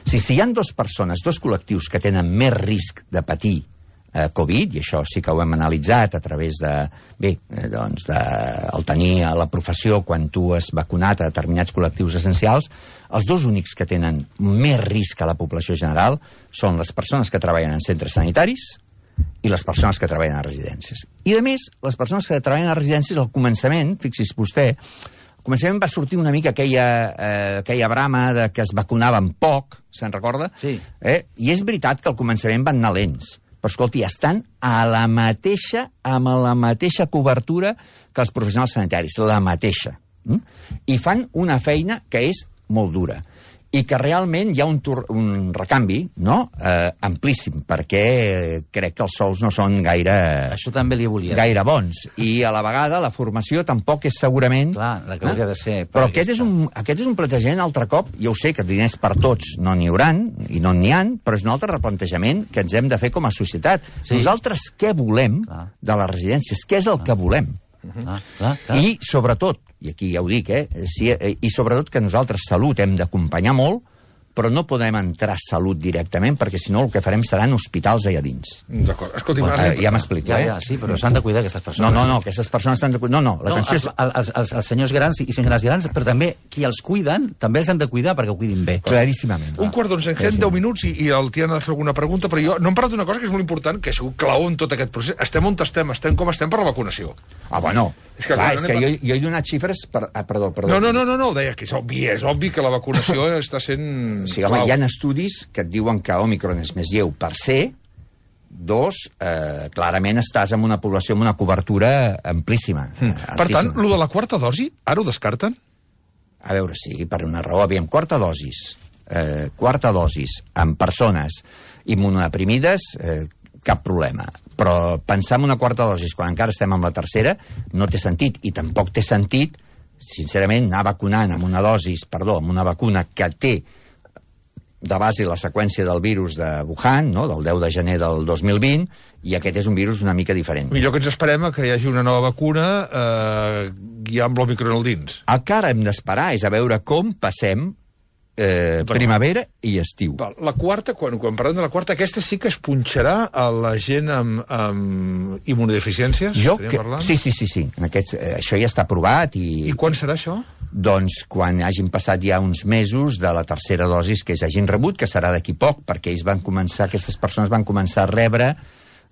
si, si hi ha dues persones, dos col·lectius que tenen més risc de patir Eh, Covid, i això sí que ho hem analitzat a través de, bé, eh, doncs, de, el tenir a la professió quan tu has vacunat a determinats col·lectius essencials, els dos únics que tenen més risc a la població general són les persones que treballen en centres sanitaris i les persones que treballen a residències. I, a més, les persones que treballen a residències, al començament, fixi's vostè, al començament va sortir una mica aquella, eh, aquella brama de que es vacunaven poc, se'n recorda? Sí. Eh? I és veritat que al començament van anar lents, però, escolti, estan a la mateixa, amb la mateixa cobertura que els professionals sanitaris, la mateixa. Mm? I fan una feina que és molt dura. I que realment hi ha un, tur un recanvi, no?, eh, amplíssim, perquè crec que els sous no són gaire... Això també li volia. Gaire bons. I a la vegada la formació tampoc és segurament... Clar, la que hauria de ser... Però aquest és, un, aquest és un plantejament altre cop, jo ho sé que diners per tots no n'hi hauran, i no n'hi han, però és un altre replantejament que ens hem de fer com a societat. Sí. Nosaltres què volem clar. De les residències? Què és el clar. Que volem? Ah, clar, clar. I, sobretot, i aquí ja ho dic, eh, si, eh, i sobretot que nosaltres salut hem d'acompanyar molt, però no podem entrar a salut directament, perquè si no el que farem seran hospitals allà dins. D'acord. Escolti, bueno, eh, ja m'explico, ja, eh? Ja, sí, però s'han de cuidar aquestes persones. No, no, no, aquestes persones s'han de cuidar. No, no, l'atenció no, els, és... els, els, els senyors grans i senyores grans, però també qui els cuiden, també els han de cuidar perquè ho cuidin bé. Claríssimament. Un quart d'onze, ens queden deu minuts i, i el Tiana ha de fer alguna pregunta, però jo no hem parlat d'una cosa que és molt important, que ha sigut clau en tot aquest procés. Estem on estem, estem com estem per la vacunació. Ah, bueno, és que, clar, és que jo, jo he donat xifres... Per... Ah, perdó, perdó. No, no, no, no, no, deia que és obvi, és obvi que la vacunació està sent... Sí, home, hi ha estudis que et diuen que Omicron és més lleu per ser, dos, eh, clarament estàs en una població amb una cobertura amplíssima. Mm. Per tant, lo de la quarta dosi, ara ho descarten? A veure, sí, per una raó. Aviam, quarta dosis, eh, quarta dosis en persones immunodeprimides, eh, cap problema. Però pensar en una quarta dosis quan encara estem amb la tercera no té sentit, i tampoc té sentit, sincerament, anar vacunant amb una dosis, perdó, amb una vacuna que té de base la seqüència del virus de Wuhan, no?, del deu de gener del dos mil vint, i aquest és un virus una mica diferent. Millor que ens esperem a que hi hagi una nova vacuna eh, ja amb l'Omicron al dins. El que ara hem d'esperar és a veure com passem eh, primavera i estiu. La quarta, quan, quan parlem de la quarta, aquesta sí que es punxarà a la gent amb, amb immunodeficiències? Jo que, sí, sí, sí, sí. En aquests, eh, això ja està aprovat. I, I quan serà això? Doncs quan hagin passat ja uns mesos de la tercera dosis que ells hagin rebut, que serà d'aquí poc, perquè ells van començar, aquestes persones van començar a rebre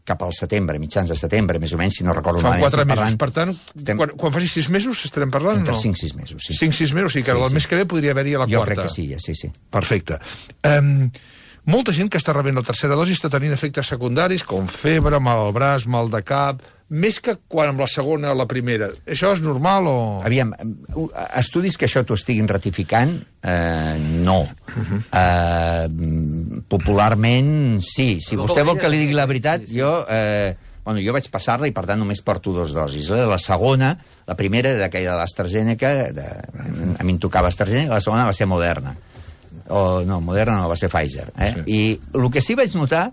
cap al setembre, mitjans de setembre, més o menys, si no recordo malament. Fa quatre mesos, parlant... per tant, Estem... quan, quan faci sis mesos estarem parlant? Entre no? cinc sis mesos, sí. cinc sis mesos, sí, que sí, el sí. mes que ve podria haver-hi a la jo quarta. Jo crec que sí, ja, sí, sí. Perfecte. Um, molta gent que està rebent la tercera dosi està tenint efectes secundaris, com febre, mal al braç, mal de cap, més que quan amb la segona o la primera. Això és normal o...? Aviam, estudis que això t'ho estiguin ratificant, eh, no. Uh-huh. eh, popularment, sí. Si vostè vol que li digui la veritat, jo... Eh, Bueno, jo vaig passar-la i, per tant, només porto dos dosis. La segona, la primera era aquella de l'AstraZeneca, de, a mi em tocava AstraZeneca, la segona va ser Moderna. O, no, Moderna no, va ser Pfizer. Eh? Sí. I el que sí vaig notar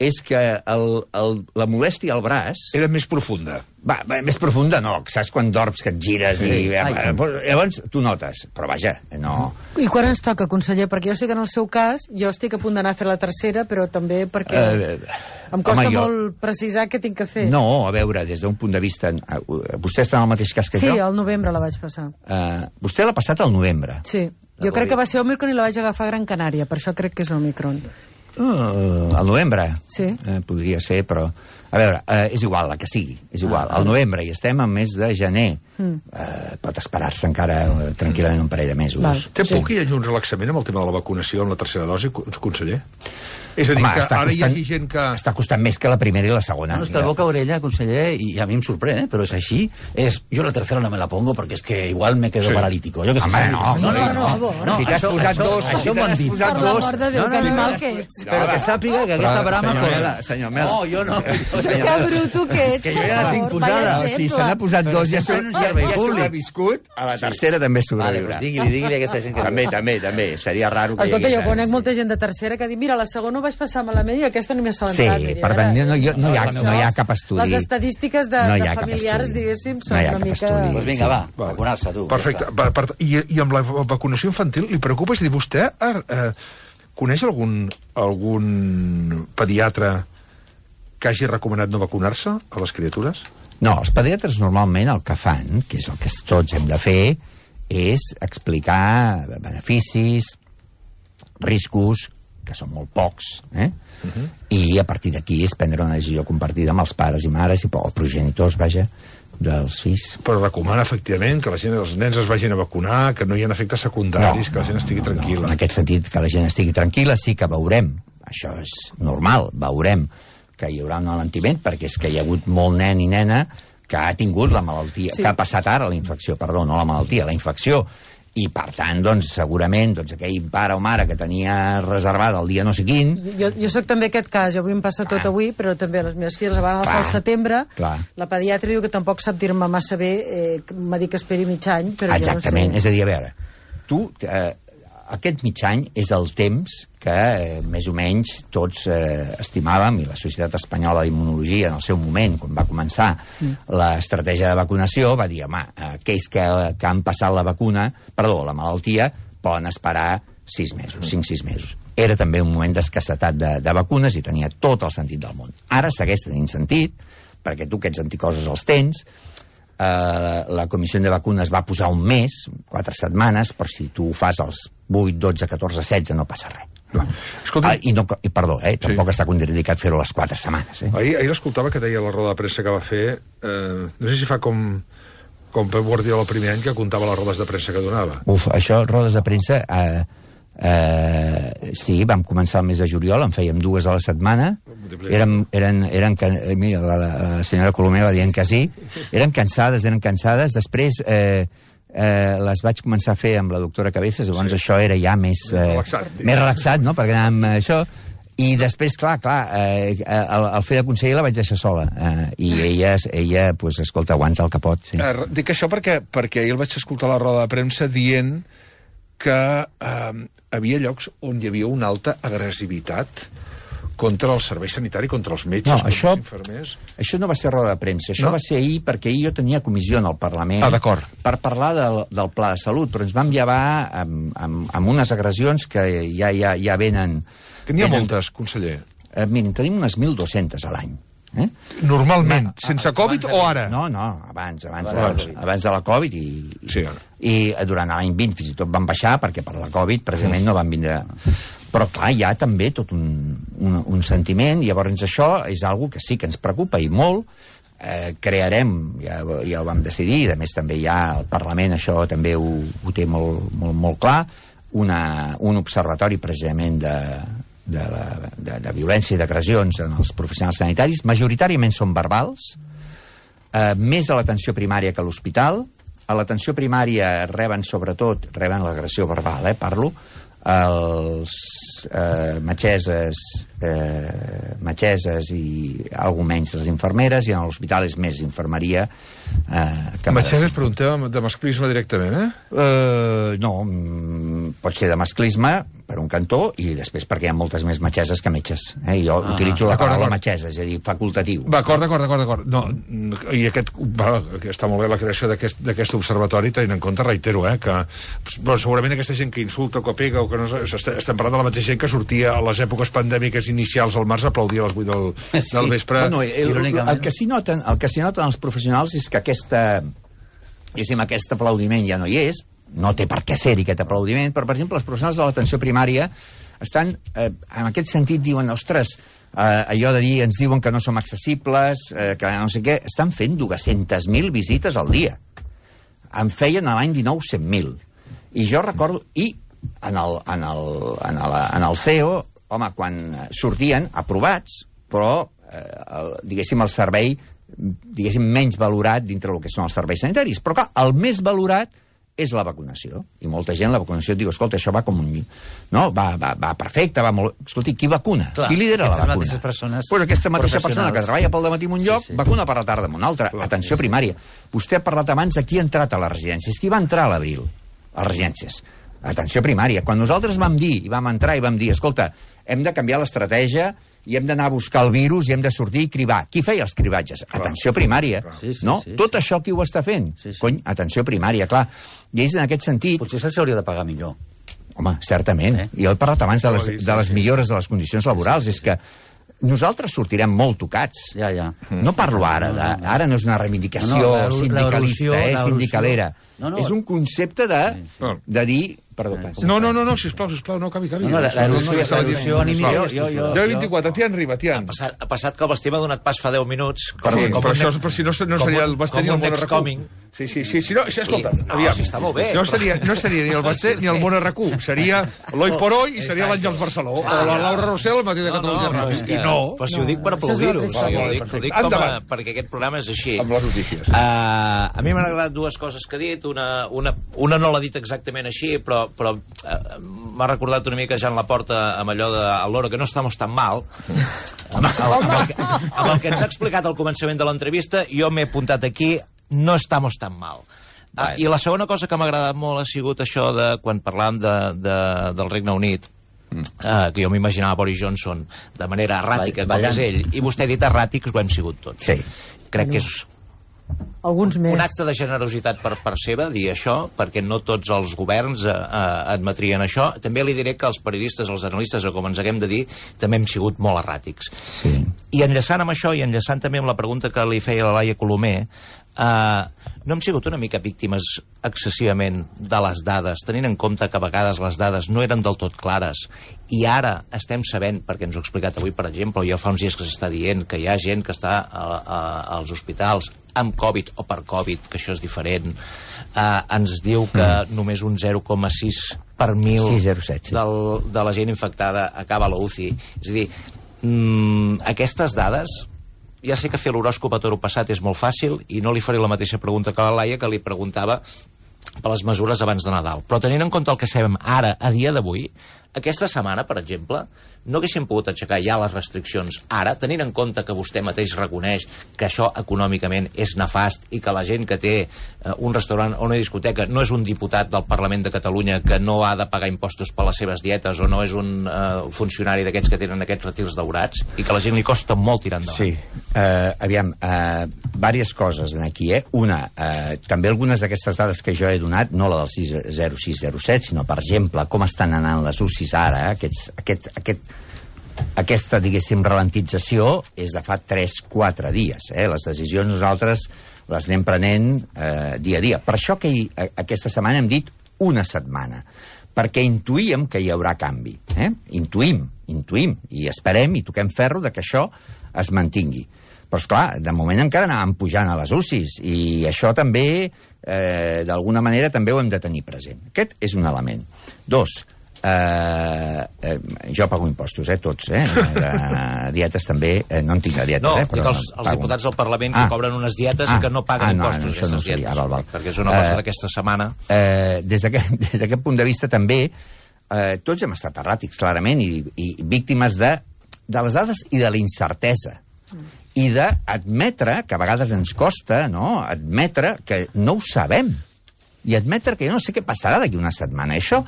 és que el, el, la molèstia al braç... Era més profunda. Va, va, més profunda no, saps quan dorms que et gires sí. i... Ai. Llavors tu notes, però vaja, no... I quan ens toca, conseller? Perquè jo sé que en el seu cas jo estic a punt d'anar a fer la tercera, però també perquè eh, em costa home, jo... molt precisar què tinc que fer. No, a veure, des d'un punt de vista... Vostè està en el mateix cas que sí, jo? Sí, al novembre la vaig passar. Uh, vostè l'ha passat al novembre? Sí, jo crec que va ser Omicron i la vaig agafar a Gran Canària, per això crec que és Omicron. Uh, al novembre? Sí. Uh, podria ser, però... A veure, eh, és igual, la que sigui, és igual. Al novembre i estem al mes de gener. Mm. Eh, pot esperar-se encara eh, tranquil·lament un parell de mesos. Val. Té por sí. que hi hagi un relaxament amb el tema de la vacunació amb la tercera dosi, conseller? És a dir, Home, que està ara costant, hi hagi gent que... Està costant més que la primera i la segona. No, és que el boca orella, conseller, i a mi em sorprèn, eh, però és així, és, jo la tercera no me la pongo perquè és que igual me quedo sí. paralítico. Jo que sé, Home, no, no, no, no, no, no, no. Si t'has posat això, dos, això si m'ho han dit. posat Per l'amor de Déu, que animal que ets. Però que sàpiga que aquesta brama... Senyor Mela, senyor Mela. No, jo no. Que bruto que ets, que jo ja la tinc posada. Si se n'ha posat dos, ja s'ha sobreviscut, a la tercera també sobreviurà. Vale, doncs digui-li, digui-li a aquesta gent que... També, també, també. Seria raro que hi Escolta, hagués... jo conec molta gent de tercera que diu, mira, la segona ho vaig passar malament i aquesta no m'hi assabentat. Sí, per tant, no, no, no, hi ha, no hi ha cap estudi. Les estadístiques de, no de familiars, diguéssim, són no una mica... Doncs pues vinga, va, sí. vacunar-se, tu. Perfecte. Per, per, i, I amb la vacunació infantil, li preocupa? És a dir, vostè eh, coneix algun, algun pediatre que hagi recomanat no vacunar-se a les criatures? No, els pediatres normalment el que fan, que és el que tots hem de fer, és explicar beneficis, riscos, que són molt pocs, eh? Uh-huh. I a partir d'aquí és prendre una decisió compartida amb els pares i mares i els progenitors, vaja, dels fills. Però recomana, efectivament, que la gent, els nens es vagin a vacunar, que no hi ha efectes secundaris, no, que la gent estigui tranquil·la. No, en aquest sentit, que la gent estigui tranquil·la, sí que veurem, això és normal, veurem que hi haurà un alentiment, perquè és que hi ha hagut molt nen i nena que ha tingut la malaltia, sí. que ha passat ara la infecció, perdó, no la malaltia, la infecció, i per tant, doncs, segurament doncs, aquell pare o mare que tenia reservada el dia no sé quin... Jo, jo soc també aquest cas, avui em passa tot ah. avui, però també les meves filles van agafar al setembre, clar. La pediatra diu que tampoc sap dir-me massa bé, eh, m'ha dit que esperi mig any, però exactament, jo no sé... És a dir, a veure, tu, eh, aquest mig any és el temps que eh, més o menys tots eh, estimàvem, i la Societat Espanyola d'Immunologia en el seu moment, quan va començar mm. l'estratègia de vacunació, va dir, home, aquells que, que han passat la vacuna, perdó, la malaltia, poden esperar sis mesos, cinc, sis mesos. Era també un moment d'escassetat de, de vacunes i tenia tot el sentit del món. Ara segueix tenint sentit, perquè tu aquests anticossos els tens, Uh, la Comissió de Vacunes va posar un mes, quatre setmanes, per si tu ho fas als vuit, dotze, catorze, setze, no passa res. Escolta... Ah, i, no, i perdó, eh, tampoc sí. està contraindicat fer-ho a les quatre setmanes. Eh? Ahir, ahir escoltava que deia la roda de premsa que va fer, eh, no sé si fa com, com Pep Guardiola el primer any, que comptava les rodes de premsa que donava. Uf, això, rodes de premsa... Eh, eh, sí, vam començar el mes de juliol, en fèiem dues a la setmana, eren, eren, eren mira, la, la senyora Colomer va dient que sí, eren cansades, eren cansades, després eh, eh, les vaig començar a fer amb la doctora Cabezas, llavors sí. això era ja més, eh, relaxat, més relaxat, no?, perquè anàvem a això, i després, clar, clar, eh, el, el fer de conseller la vaig deixar sola, eh, i ella, ella pues, escolta, aguanta el que pot. Sí. Eh, dic això perquè, perquè ahir el vaig escoltar a la roda de premsa dient que eh, havia llocs on hi havia una alta agressivitat contra el servei sanitari, contra els metges, no, contra això, els infermers... Això no va ser roda de premsa, això no? va ser ahir perquè ahir jo tenia comissió en el Parlament ah, per parlar del, del pla de salut, però ens vam llevar amb, amb, amb unes agressions que ja, ja, ja venen... Que n'hi ha venen, moltes, conseller. Eh, mirin, tenim unes mil dues-centes a l'any. Eh? Normalment, no, sense Covid o ara? No, no, abans, abans, abans, de, abans de la Covid i, sí, i durant l'any vint fins i tot van baixar perquè per la Covid precisament no van vindre... Però clar, hi ha també tot un, un, un sentiment, i llavors això és algo que sí que ens preocupa i molt. Eh, crearem, ja, ja ho vam decidir, i a més també ja el Parlament això també ho, ho té molt, molt, molt clar, una, un observatori precisament de, de, la, de, de violència i d'agressions en els professionals sanitaris, majoritàriament són verbals, eh, més de l'atenció primària que a l'hospital. A l'atenció primària reben sobretot, reben l'agressió verbal, eh, parlo, els eh, metgesses, eh, metgesses i algo menys les infermeres, i en l'hospital és més infermeria eh, que metgesses per un tema de masclisme directament, eh? eh no, pot ser de masclisme per un cantó, i després perquè hi ha moltes més metgesses que metges, eh? Jo ah, utilitzo la paraula metgessa, és a dir, facultatiu. D'acord, d'acord, d'acord, d'acord. No, i aquest, va, està molt bé la creació d'aquest observatori, tenint en compte, reitero, eh, que bueno, segurament aquesta gent que insulta o que pega o que no, estem parlant de la mateixa gent que sortia a les èpoques pandèmiques inicials al març a aplaudir a les vuit del, sí. del vespre. Bueno, el, el, el, que s'hi noten, el que s'hi noten els professionals és que aquesta, diguéssim, aquest aplaudiment ja no hi és, no té per què ser-hi aquest aplaudiment, però, per exemple, els professionals de l'atenció primària estan, eh, en aquest sentit, diuen, ostres, Uh, allò de dir, ens diuen que no som accessibles, uh, que no sé què, estan fent dues-centes mil visites al dia. En feien a l'any dinou cent mil. I jo recordo, i en el, en el, en el, en el C E O, home, quan sortien aprovats, però, eh, el, diguéssim, el servei, diguéssim, menys valorat dintre del que són els serveis sanitaris. Però, clar, el més valorat és la vacunació. I molta gent la vacunació et diu, escolta, això va com un... No, va, va, va perfecte, va molt... Escolti, qui vacuna? Clar, qui lidera la vacuna? Aquestes persones pues aquesta mateixa persona que treballa pel dematí en un lloc, sí, sí. vacuna per la tarda en un altre. Clar, atenció sí, sí. primària. Vostè ha parlat abans de qui ha entrat a les residències. Qui va entrar a l'abril a les residències? Atenció primària. Quan nosaltres vam dir, i vam entrar i vam dir, escolta, hem de canviar l'estratègia i hem d'anar a buscar el virus i hem de sortir i cribar. Qui feia els cribatges? Clar. Atenció primària. Sí, sí, no? Sí, sí. Tot això qui ho està fent? Sí, sí. Cony, atenció primària, clar. I és en aquest sentit... Potser se'ls hauria de pagar millor. Home, certament. Eh? Jo he parlat abans de les, de les millores de les condicions laborals. És que nosaltres sortirem molt tocats. Ja, ja. No parlo ara. De, ara no és una reivindicació no, no, sindicalista, eh, sindicalera. No, no, és un concepte de, de dir... Perdó, pas. No, no, no, no, sisplau, sisplau, no, cavi, cavi. No, no, l'erosió anímica... deu vint-i-quatre, Tian Riba, Tian. Ha passat, ha passat que el Basté m'ha donat pas fa deu minuts. Com, sí, com però, un, això, però si no, no seria el Basté ni el Món Arracú. Sí, sí, sí, sí, no, escolta, I, no, aviam. Si està molt bé. No seria, no seria ni el Basté ni el Món Arracú. Seria l'Oi por Oi i seria l'Àngels Barceló. O la Laura Rossell, el matí de Catalunya Ràdio. I no. Però si ho dic per aplaudir-ho. Ho dic perquè aquest programa és així. Amb les notícies. A mi m'han agradat dues coses que ha dit. Una no l'ha dit exactament així, però m'ha recordat una mica Jean Laporta amb allò de al loro que no estamos tan mal. Amb el que ens ha explicat al començament de l'entrevista, jo m'he apuntat aquí, no estamos tan mal. Ah, I la segona cosa que m'ha agradat molt ha sigut això de quan parlàvem de, de, del Regne Unit, mm. uh, que jo m'imaginava Boris Johnson de manera erràtica, com és ell, i vostè ha dit erràtics, ho hem sigut tots. Sí. Crec que és alguns més. Un acte de generositat per part seva, dir això, perquè no tots els governs eh, admetrien això. També li diré que els periodistes, els analistes, o com ens haguem de dir, també hem sigut molt erràtics. Sí. I enllaçant amb això, i enllaçant també amb la pregunta que li feia la Laia Colomer, Uh, no hem sigut una mica víctimes excessivament de les dades, tenint en compte que a vegades les dades no eren del tot clares, i ara estem sabent, perquè ens ho ha explicat avui, per exemple, ja fa uns dies que s'està dient que hi ha gent que està a, a, als hospitals amb Covid o per Covid, que això és diferent. Uh, ens diu que mm. només un zero coma sis per mil sis zero set, sí. del, de la gent infectada acaba a la U C I. És a dir, mm, aquestes dades... Ja sé que fer l'horòscop a toro passat és molt fàcil i no li faré la mateixa pregunta que a la Laia, que li preguntava per les mesures abans de Nadal. Però tenint en compte el que sabem ara, a dia d'avui, aquesta setmana, per exemple, no haguéssim pogut aixecar ja les restriccions ara, tenint en compte que vostè mateix reconeix que això econòmicament és nefast i que la gent que té eh, un restaurant o una discoteca no és un diputat del Parlament de Catalunya que no ha de pagar impostos per les seves dietes o no és un eh, funcionari d'aquests que tenen aquests retirs daurats i que a la gent li costa molt tirar endavant. Sí, uh, aviam, uh, diverses coses aquí, eh? Una, uh, també algunes d'aquestes dades que jo he donat, no la del zero sis zero set, sinó, per exemple, com estan anant les U C Is ara, eh? Aquests, aquest, aquest aquesta, diguéssim, ralentització és de fa tres quatre dies. Eh? Les decisions nosaltres les anem prenent eh, dia a dia. Per això que hi, aquesta setmana hem dit una setmana, perquè intuïm que hi haurà canvi. Eh? Intuïm, intuïm, i esperem i toquem ferro de que això es mantingui. Però, esclar, de moment encara anàvem pujant a les U C Is, i això també, eh, d'alguna manera, també ho hem de tenir present. Aquest és un element. Dos, Uh, uh, jo pago impostos, eh, tots, eh? De dietes també, eh, no en tinc de dietes, no, eh? Però els, els diputats del Parlament que ah. cobren unes dietes ah. i que no paguen ah, no, impostos, no, aquestes no dietes, ah, val, val. perquè és una cosa uh, d'aquesta setmana. Uh, des d'aquest punt de vista també, uh, tots hem estat erràtics, clarament, i, i víctimes de, de les dades i de la incertesa. I d'admetre, que a vegades ens costa, no?, admetre que no ho sabem. I admetre que jo no sé què passarà d'aquí una setmana. Això...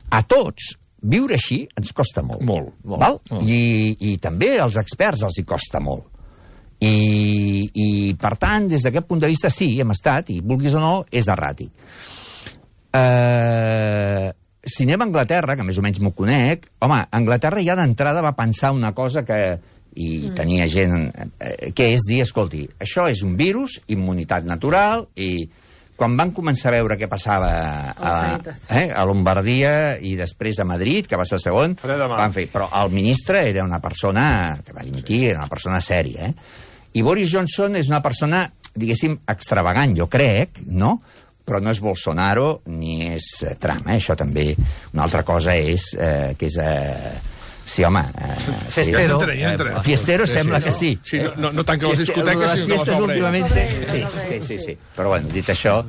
A tots, viure així ens costa molt. Molt. molt val? molt. I, I també als experts els hi costa molt. I, i per tant, des d'aquest punt de vista, sí, hem estat, i vulguis o no, és erràtic. Uh, si anem a Anglaterra, que més o menys m'ho conec, home, Anglaterra ja d'entrada va pensar una cosa que... i mm. tenia gent... Eh, que és dir, escolti, això és un virus, immunitat natural, i... quan van començar a veure què passava a, eh, a Lombardia i després a Madrid, que va ser el segon, van fer... Però el ministre era una persona que va dimitir, era una persona sèria, eh? I Boris Johnson és una persona, diguéssim, extravagant, jo crec, no? Però no és Bolsonaro ni és Trump, eh? Això també. Una altra cosa és eh, que és... Eh, Sí, home... Eh, Fiestero. Sí, ja entraré, ja Fiestero sí, sembla sí, que sí. sí no, no, no tanca les discoteques, les sinó que les obre. últimament... Sí, sí, sí, sí. Però, bueno, dit això...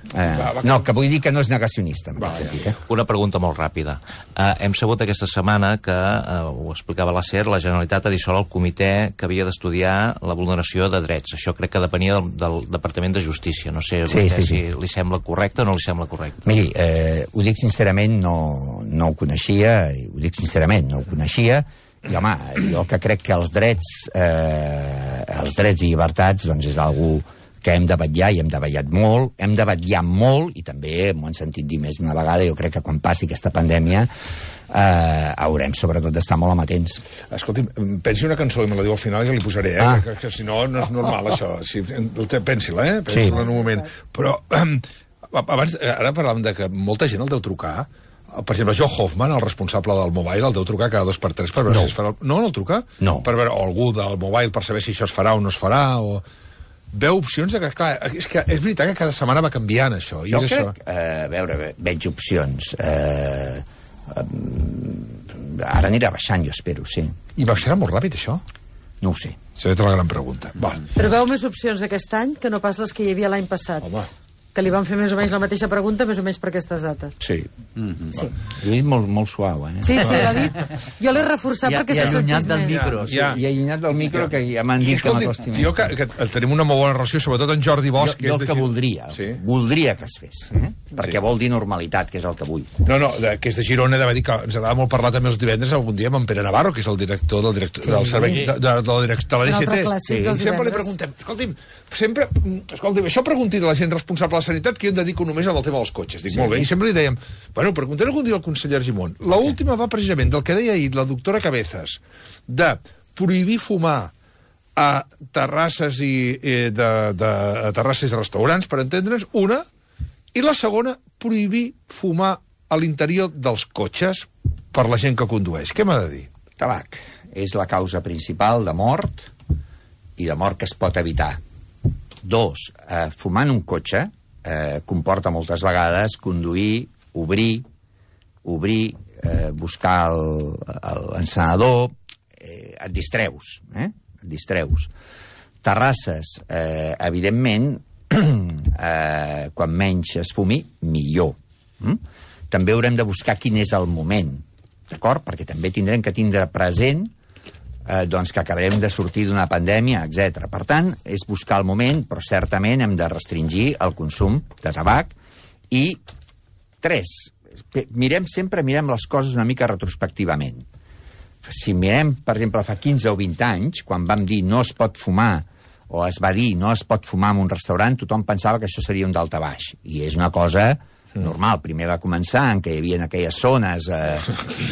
Eh, no, que vull dir que no és negacionista, en aquest sentit. Eh? Una pregunta molt ràpida. Uh, hem sabut aquesta setmana que, uh, ho explicava la SER, la Generalitat ha dissolt el comitè que havia d'estudiar la vulneració de drets. Això crec que depenia del, del Departament de Justícia. No sé, sí, vostè, sí, sí. si li sembla correcte o no li sembla correcte. Miri, eh, ho dic sincerament, no, no ho coneixia, i ho dic sincerament, no ho coneixia, i, home, jo que crec que els drets, eh, els drets i llibertats, doncs és algú que hem de vetllar, i hem de vetllar molt, hem de vetllar molt, i també m'ho han sentit dir més d'una vegada, jo crec que quan passi aquesta pandèmia eh, haurem sobretot d'estar molt amatents. Escolti, pensi una cançó i me la diu al final i ja li posaré, eh? Ah. Que, que, que si no, no és normal, això. Si, pensi-la, eh? Pensi-la sí. En un moment. Però, eh, abans, ara parlàvem de que molta gent el deu trucar. Per exemple, Joe Hoffman, el responsable del Mobile, el deu trucar cada dos per tres per veure no. si es farà... No, no el truca? No. Per veure, o algú del Mobile per saber si això es farà o no es farà, o... Veu opcions de que, clar, és, que és veritat que cada setmana va canviant, això. I jo és crec, això. Eh, a veure, veig opcions. Eh, eh, ara anirà baixant, jo espero, sí. I baixarà molt ràpid, això? No ho sé. Serà la gran pregunta. Va. Però veu més opcions aquest any que no pas les que hi havia l'any passat. Home. Que li van fer més o menys la mateixa pregunta, més o menys per aquestes dates. Sí. Mm-hmm. Sí. Ho he dit molt, molt suau, eh? Sí, sí, l'ha dit. Jo l'he reforçat ja, perquè ja se allunyat sentís del més. micro. Sí, ja. I allunyat del micro, que ja m'han dit que m'acosti més. Jo que, que tenim una molt bona relació, sobretot en Jordi Bosch. Jo, jo que el que voldria, sí. voldria que es fes, eh? perquè sí. vol dir normalitat, que és el que vull. No, no, que és de Girona, de dir que ens agrada molt parlar també els divendres algun dia amb en Pere Navarro, que és el director del, director, sí. del servei de, de, de, de, de, de la D C T. Sí. I sempre li preguntem, escolti'm, sempre, escolti'm, això pregunti a la gent responsable de la sanitat, que jo em dedico només al tema dels cotxes. Dic, sí. molt bé, i sempre li dèiem, bueno, preguntem algun dia al conseller Argimon. L'última va precisament del que deia ahir la doctora Cabezas, de prohibir fumar a terrasses i eh, de, de a terrasses i restaurants, per entendre's, una, i la segona, prohibir fumar a l'interior dels cotxes per la gent que condueix. Què m'ha de dir? Tabac és la causa principal de mort i de mort que es pot evitar. Dos, eh, fumar en un cotxe eh, comporta moltes vegades conduir, obrir, obrir, eh, buscar l'encenedor, eh, et distreus, eh? Et distreus. Terrasses, eh, evidentment, eh, quan menys es fumi, millor. Mm? També haurem de buscar quin és el moment, d'acord? Perquè també tindrem que tindre present eh, doncs que acabarem de sortir d'una pandèmia, etcètera. Per tant, és buscar el moment, però certament hem de restringir el consum de tabac. I, tres, mirem sempre mirem les coses una mica retrospectivament. Si mirem, per exemple, fa quinze o vint anys, quan vam dir no es pot fumar, o es va dir no es pot fumar en un restaurant, tothom pensava que això seria un dalta baix. I és una cosa normal. Primer va començar en què hi havia aquelles zones, eh,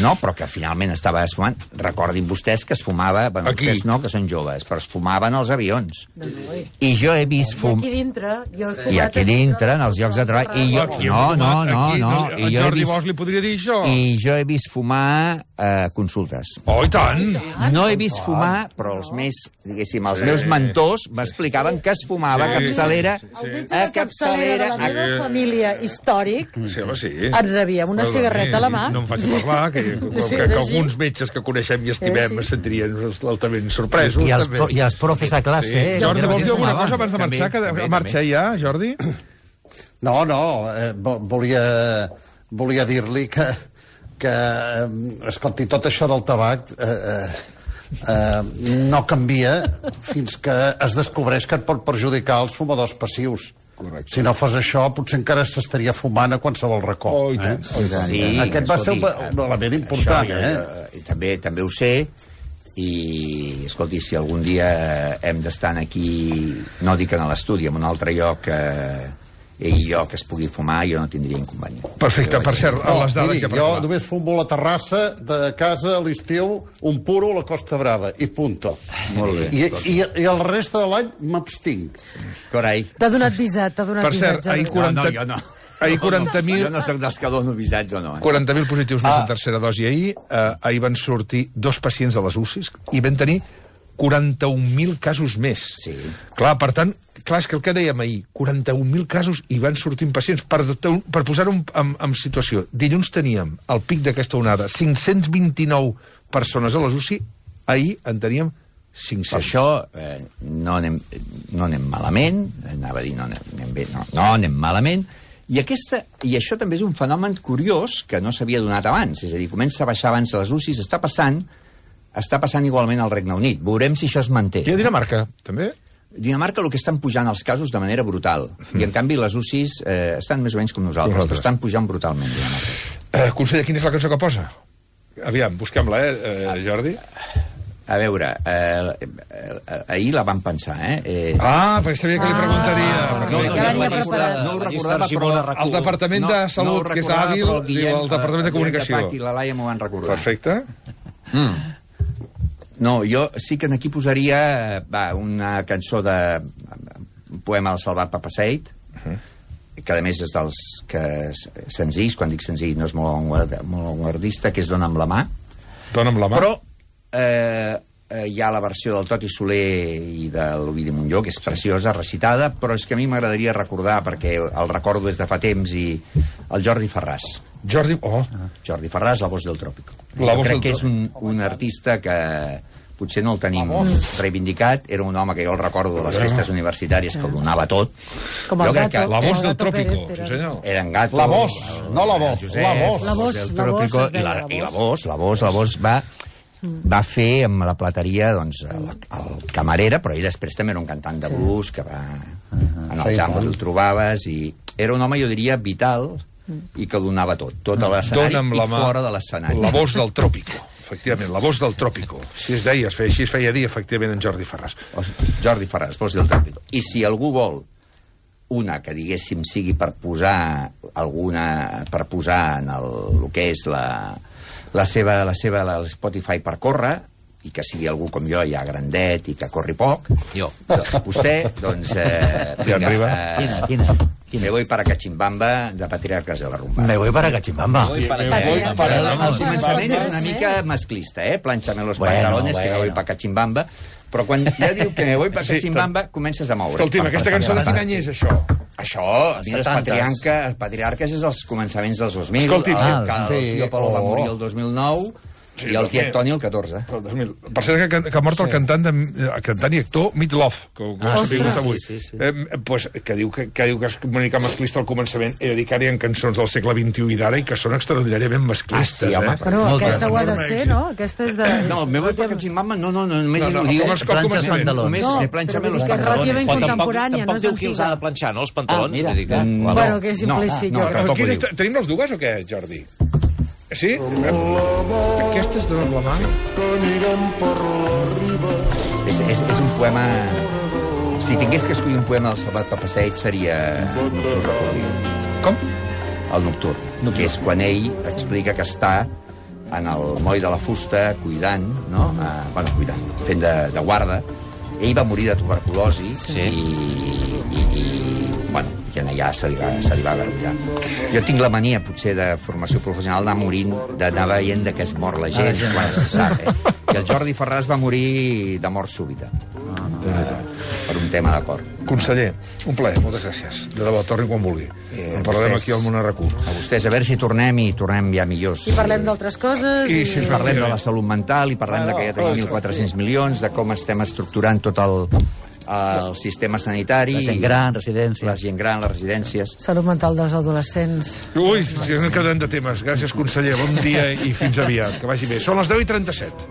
no? Però que finalment estava fumant. Recordin vostès que es fumava, bueno, aquí. Vostès no, que són joves, però es fumaven als avions. I jo he vist fum... I aquí dintre, jo he fumat... I aquí dintre, en els llocs de treball... I jo... No, no, no, no. I jo Jordi Bosch li podria dir això. I jo he vist fumar eh, consultes. Oh, i tant! No he vist fumar, però els més, diguéssim, els meus mentors m'explicaven que es fumava a capçalera... El metge de capçalera de la meva família històrica Sí, home, sí. et rebíem una cigarreta a la mà. No em faig parlar, que, que, que, que alguns metges que coneixem i estimem es sentirien altament sorpresos. I els, pro, i els profes a classe. Sí. Eh? Jordi, vols dir alguna cosa abans de marxar? Que també, marxa ja, Jordi? No, no, eh, volia, volia dir-li que, que, escolti, tot això del tabac eh, eh, no canvia fins que es descobreix que et pot perjudicar els fumadors passius. Correcte. Si no fos això, potser encara s'estaria fumant a qualsevol racó. Oh, i tant. Eh? Sí, aquest va ser un, un element important, això, eh? I també, també ho sé, i, escolti, si algun dia hem d'estar aquí, no dic en l'estudi, en un altre lloc, eh, i jo que es pugui fumar, jo no tindria inconvenient. Perfecte, per cert, a les dades miri, que... jo només fumo a la terrassa de casa a l'estiu, un puro a la Costa Brava, i punto. Molt bé. I, i, i el reste de l'any m'abstinc. Corai. T'ha donat visat, t'ha donat Per visat. cert, ahir quaranta... No, no, jo no. Ahir quaranta mil... Jo no soc dels que dono visats o no. Eh? quaranta mil positius més en tercera dosi ahir. Eh, ahir van sortir dos pacients de les U C Is i van tenir quaranta-un mil casos més. Sí. Clar, per tant, clar, és que el que dèiem ahir, quaranta-un mil casos i van sortint pacients. Per, per posar-ho en, en situació, dilluns teníem el pic d'aquesta onada, cinc-cents vint-i-nou persones a les U C I, ahir en teníem cinc-cents. Per això eh, no, anem, no anem malament, anava a dir no anem bé, no, no anem malament, i, aquesta, i això també és un fenomen curiós que no s'havia donat abans, és a dir, comença a baixar abans a les U C Is, està passant, està passant igualment al Regne Unit. Veurem si això es manté. I a Dinamarca, també? Dinamarca el que estan pujant els casos de manera brutal, mm. i en canvi les U C Is eh, estan més o menys com nosaltres, nosaltres. però estan pujant brutalment, Dinamarca. Eh, conseller, quina és la cançó que posa? Aviam, busquem-la, eh, eh, Jordi? A veure, eh, eh, ahir la vam pensar, eh? eh ah, perquè sabia que li preguntaria. Ah, no, no, no, no, no, no ho recordava, però... El Departament de Salut, no que és hàbil, diu el Departament de Comunicació. I la Laia m'ho van recordar. Perfecte. Mm. No, jo sí que aquí posaria va, una cançó de un poema del Salvat Papasseit, uh -huh. que a més és dels que senzills, quan dic senzill no és molt avantguardista, que és Dona amb la mà. Dona amb la mà. Però eh, eh, hi ha la versió del Toti Soler i de l'Ovidi Montllor, que és preciosa, recitada, però és que a mi m'agradaria recordar, perquè el recordo des de fa temps, i el Jordi Ferràs. Jordi... Oh. Jordi Ferràs, La voz del tròpico. La jo voz crec del que és un, un artista que potser no el tenim reivindicat, era un home que jo el recordo de les festes universitàries que ho donava tot. Com el gato. La voz del tròpico, sí senyor. Era en gato. La voz, no la voz, la voz. La voz, la voz, i la, i la voz, la voz, la voz va va fer amb la plateria doncs, el, el camarera, però ell després també era un cantant de blues que va en el jam el trobaves, i era un home, jo diria, vital, i que donava tot, tot a l'escenari i fora de l'escenari. La voz del tròpico, efectivament, la voz del tròpico. Així es deia, així es feia dir, efectivament, en Jordi Ferràs. Jordi Ferràs, voz del tròpico. I si algú vol una que, diguéssim, sigui per posar alguna, per posar en el, el que és la, la seva, la seva la Spotify per córrer, i que sigui algú com jo, ja grandet i que corri poc, jo. Vostè, doncs... Eh, vinga, eh, quina, quina? Me voy para Cachimbamba, de Patriarcas de la Rumba. Me voy para Cachimbamba. Me voy para Cachimbamba. El començament és una mica masclista, eh? Plánchame los bueno, pantalones, bueno. que me voy para Cachimbamba. Però quan ja diu que me voy para Cachimbamba, sí, comences a moure. Escolti'm, aquesta cançó de quin any és això? Això, mira, els patriarca, els patriarques és els començaments dels dos mil. Escolti'm, el, el, el, el Tio Polo va morir el dos mil nou, sí, i el tiet Toni el catorze. El dos mil. Per cert, que, que ha mort el cantant, de, el cantant i actor Meat Love, que, que ah, sí, avui. Sí, sí, sí. Eh, pues, que, diu que, que diu que es comunica masclista al començament, he de dir que ara hi ha cançons del segle vint-i-u i d'ara i que són extraordinàriament masclistes. Ah, sí, home, eh? Però no, aquesta ho ha de ser, no? Aquesta és de... No, me voy para Cachimbamba, no, no, no, només no, no, ho diu planxa els pantalons. Només no, planxa-me los pantalones. Que és relativament contemporània, no és tampoc diu qui els ha de planxar, no, els pantalons? Ah, mira, que, no. Bueno, que és implícit, no, jo no, crec. Tenim les dues o què, Jordi? Sí? Aquesta és Dona amb la mà? És, és, és un poema... Si tingués que escollir un poema del Salvat Papasseit seria Nocturn Recordió. Com? El Nocturn, Nocturn, que és quan ell explica que està en el moll de la fusta cuidant, no? Uh, bueno, cuidant, fent de, de guarda. Ell va morir de tuberculosi sí. i, i, i bueno, i allà se li va, se li va garullar. Jo tinc la mania, potser, de formació professional d'anar morint, d'anar veient de què es mor la gent, ah, quan se sap, eh? I el Jordi Ferràs va morir de mort súbita. Ah, no, eh, per un tema d'acord. Conseller, un plaer, moltes gràcies. De debò, torni quan vulgui. Eh, en parlarem vostès, aquí al Món Arracú. A vostès, a veure si tornem i tornem ja millors. I parlem d'altres coses. I, i... Si parlem de la salut mental, i parlem ah, no, de que ja tenim mil quatre-cents milions, de com estem estructurant tot el, el sistema sanitari. La gent gran, residències. La gent gran, les residències. Salut mental dels adolescents. Ui, si no quedem de temes. Gràcies, conseller. Bon dia i fins aviat. Que vagi bé. Són les deu i trenta-set.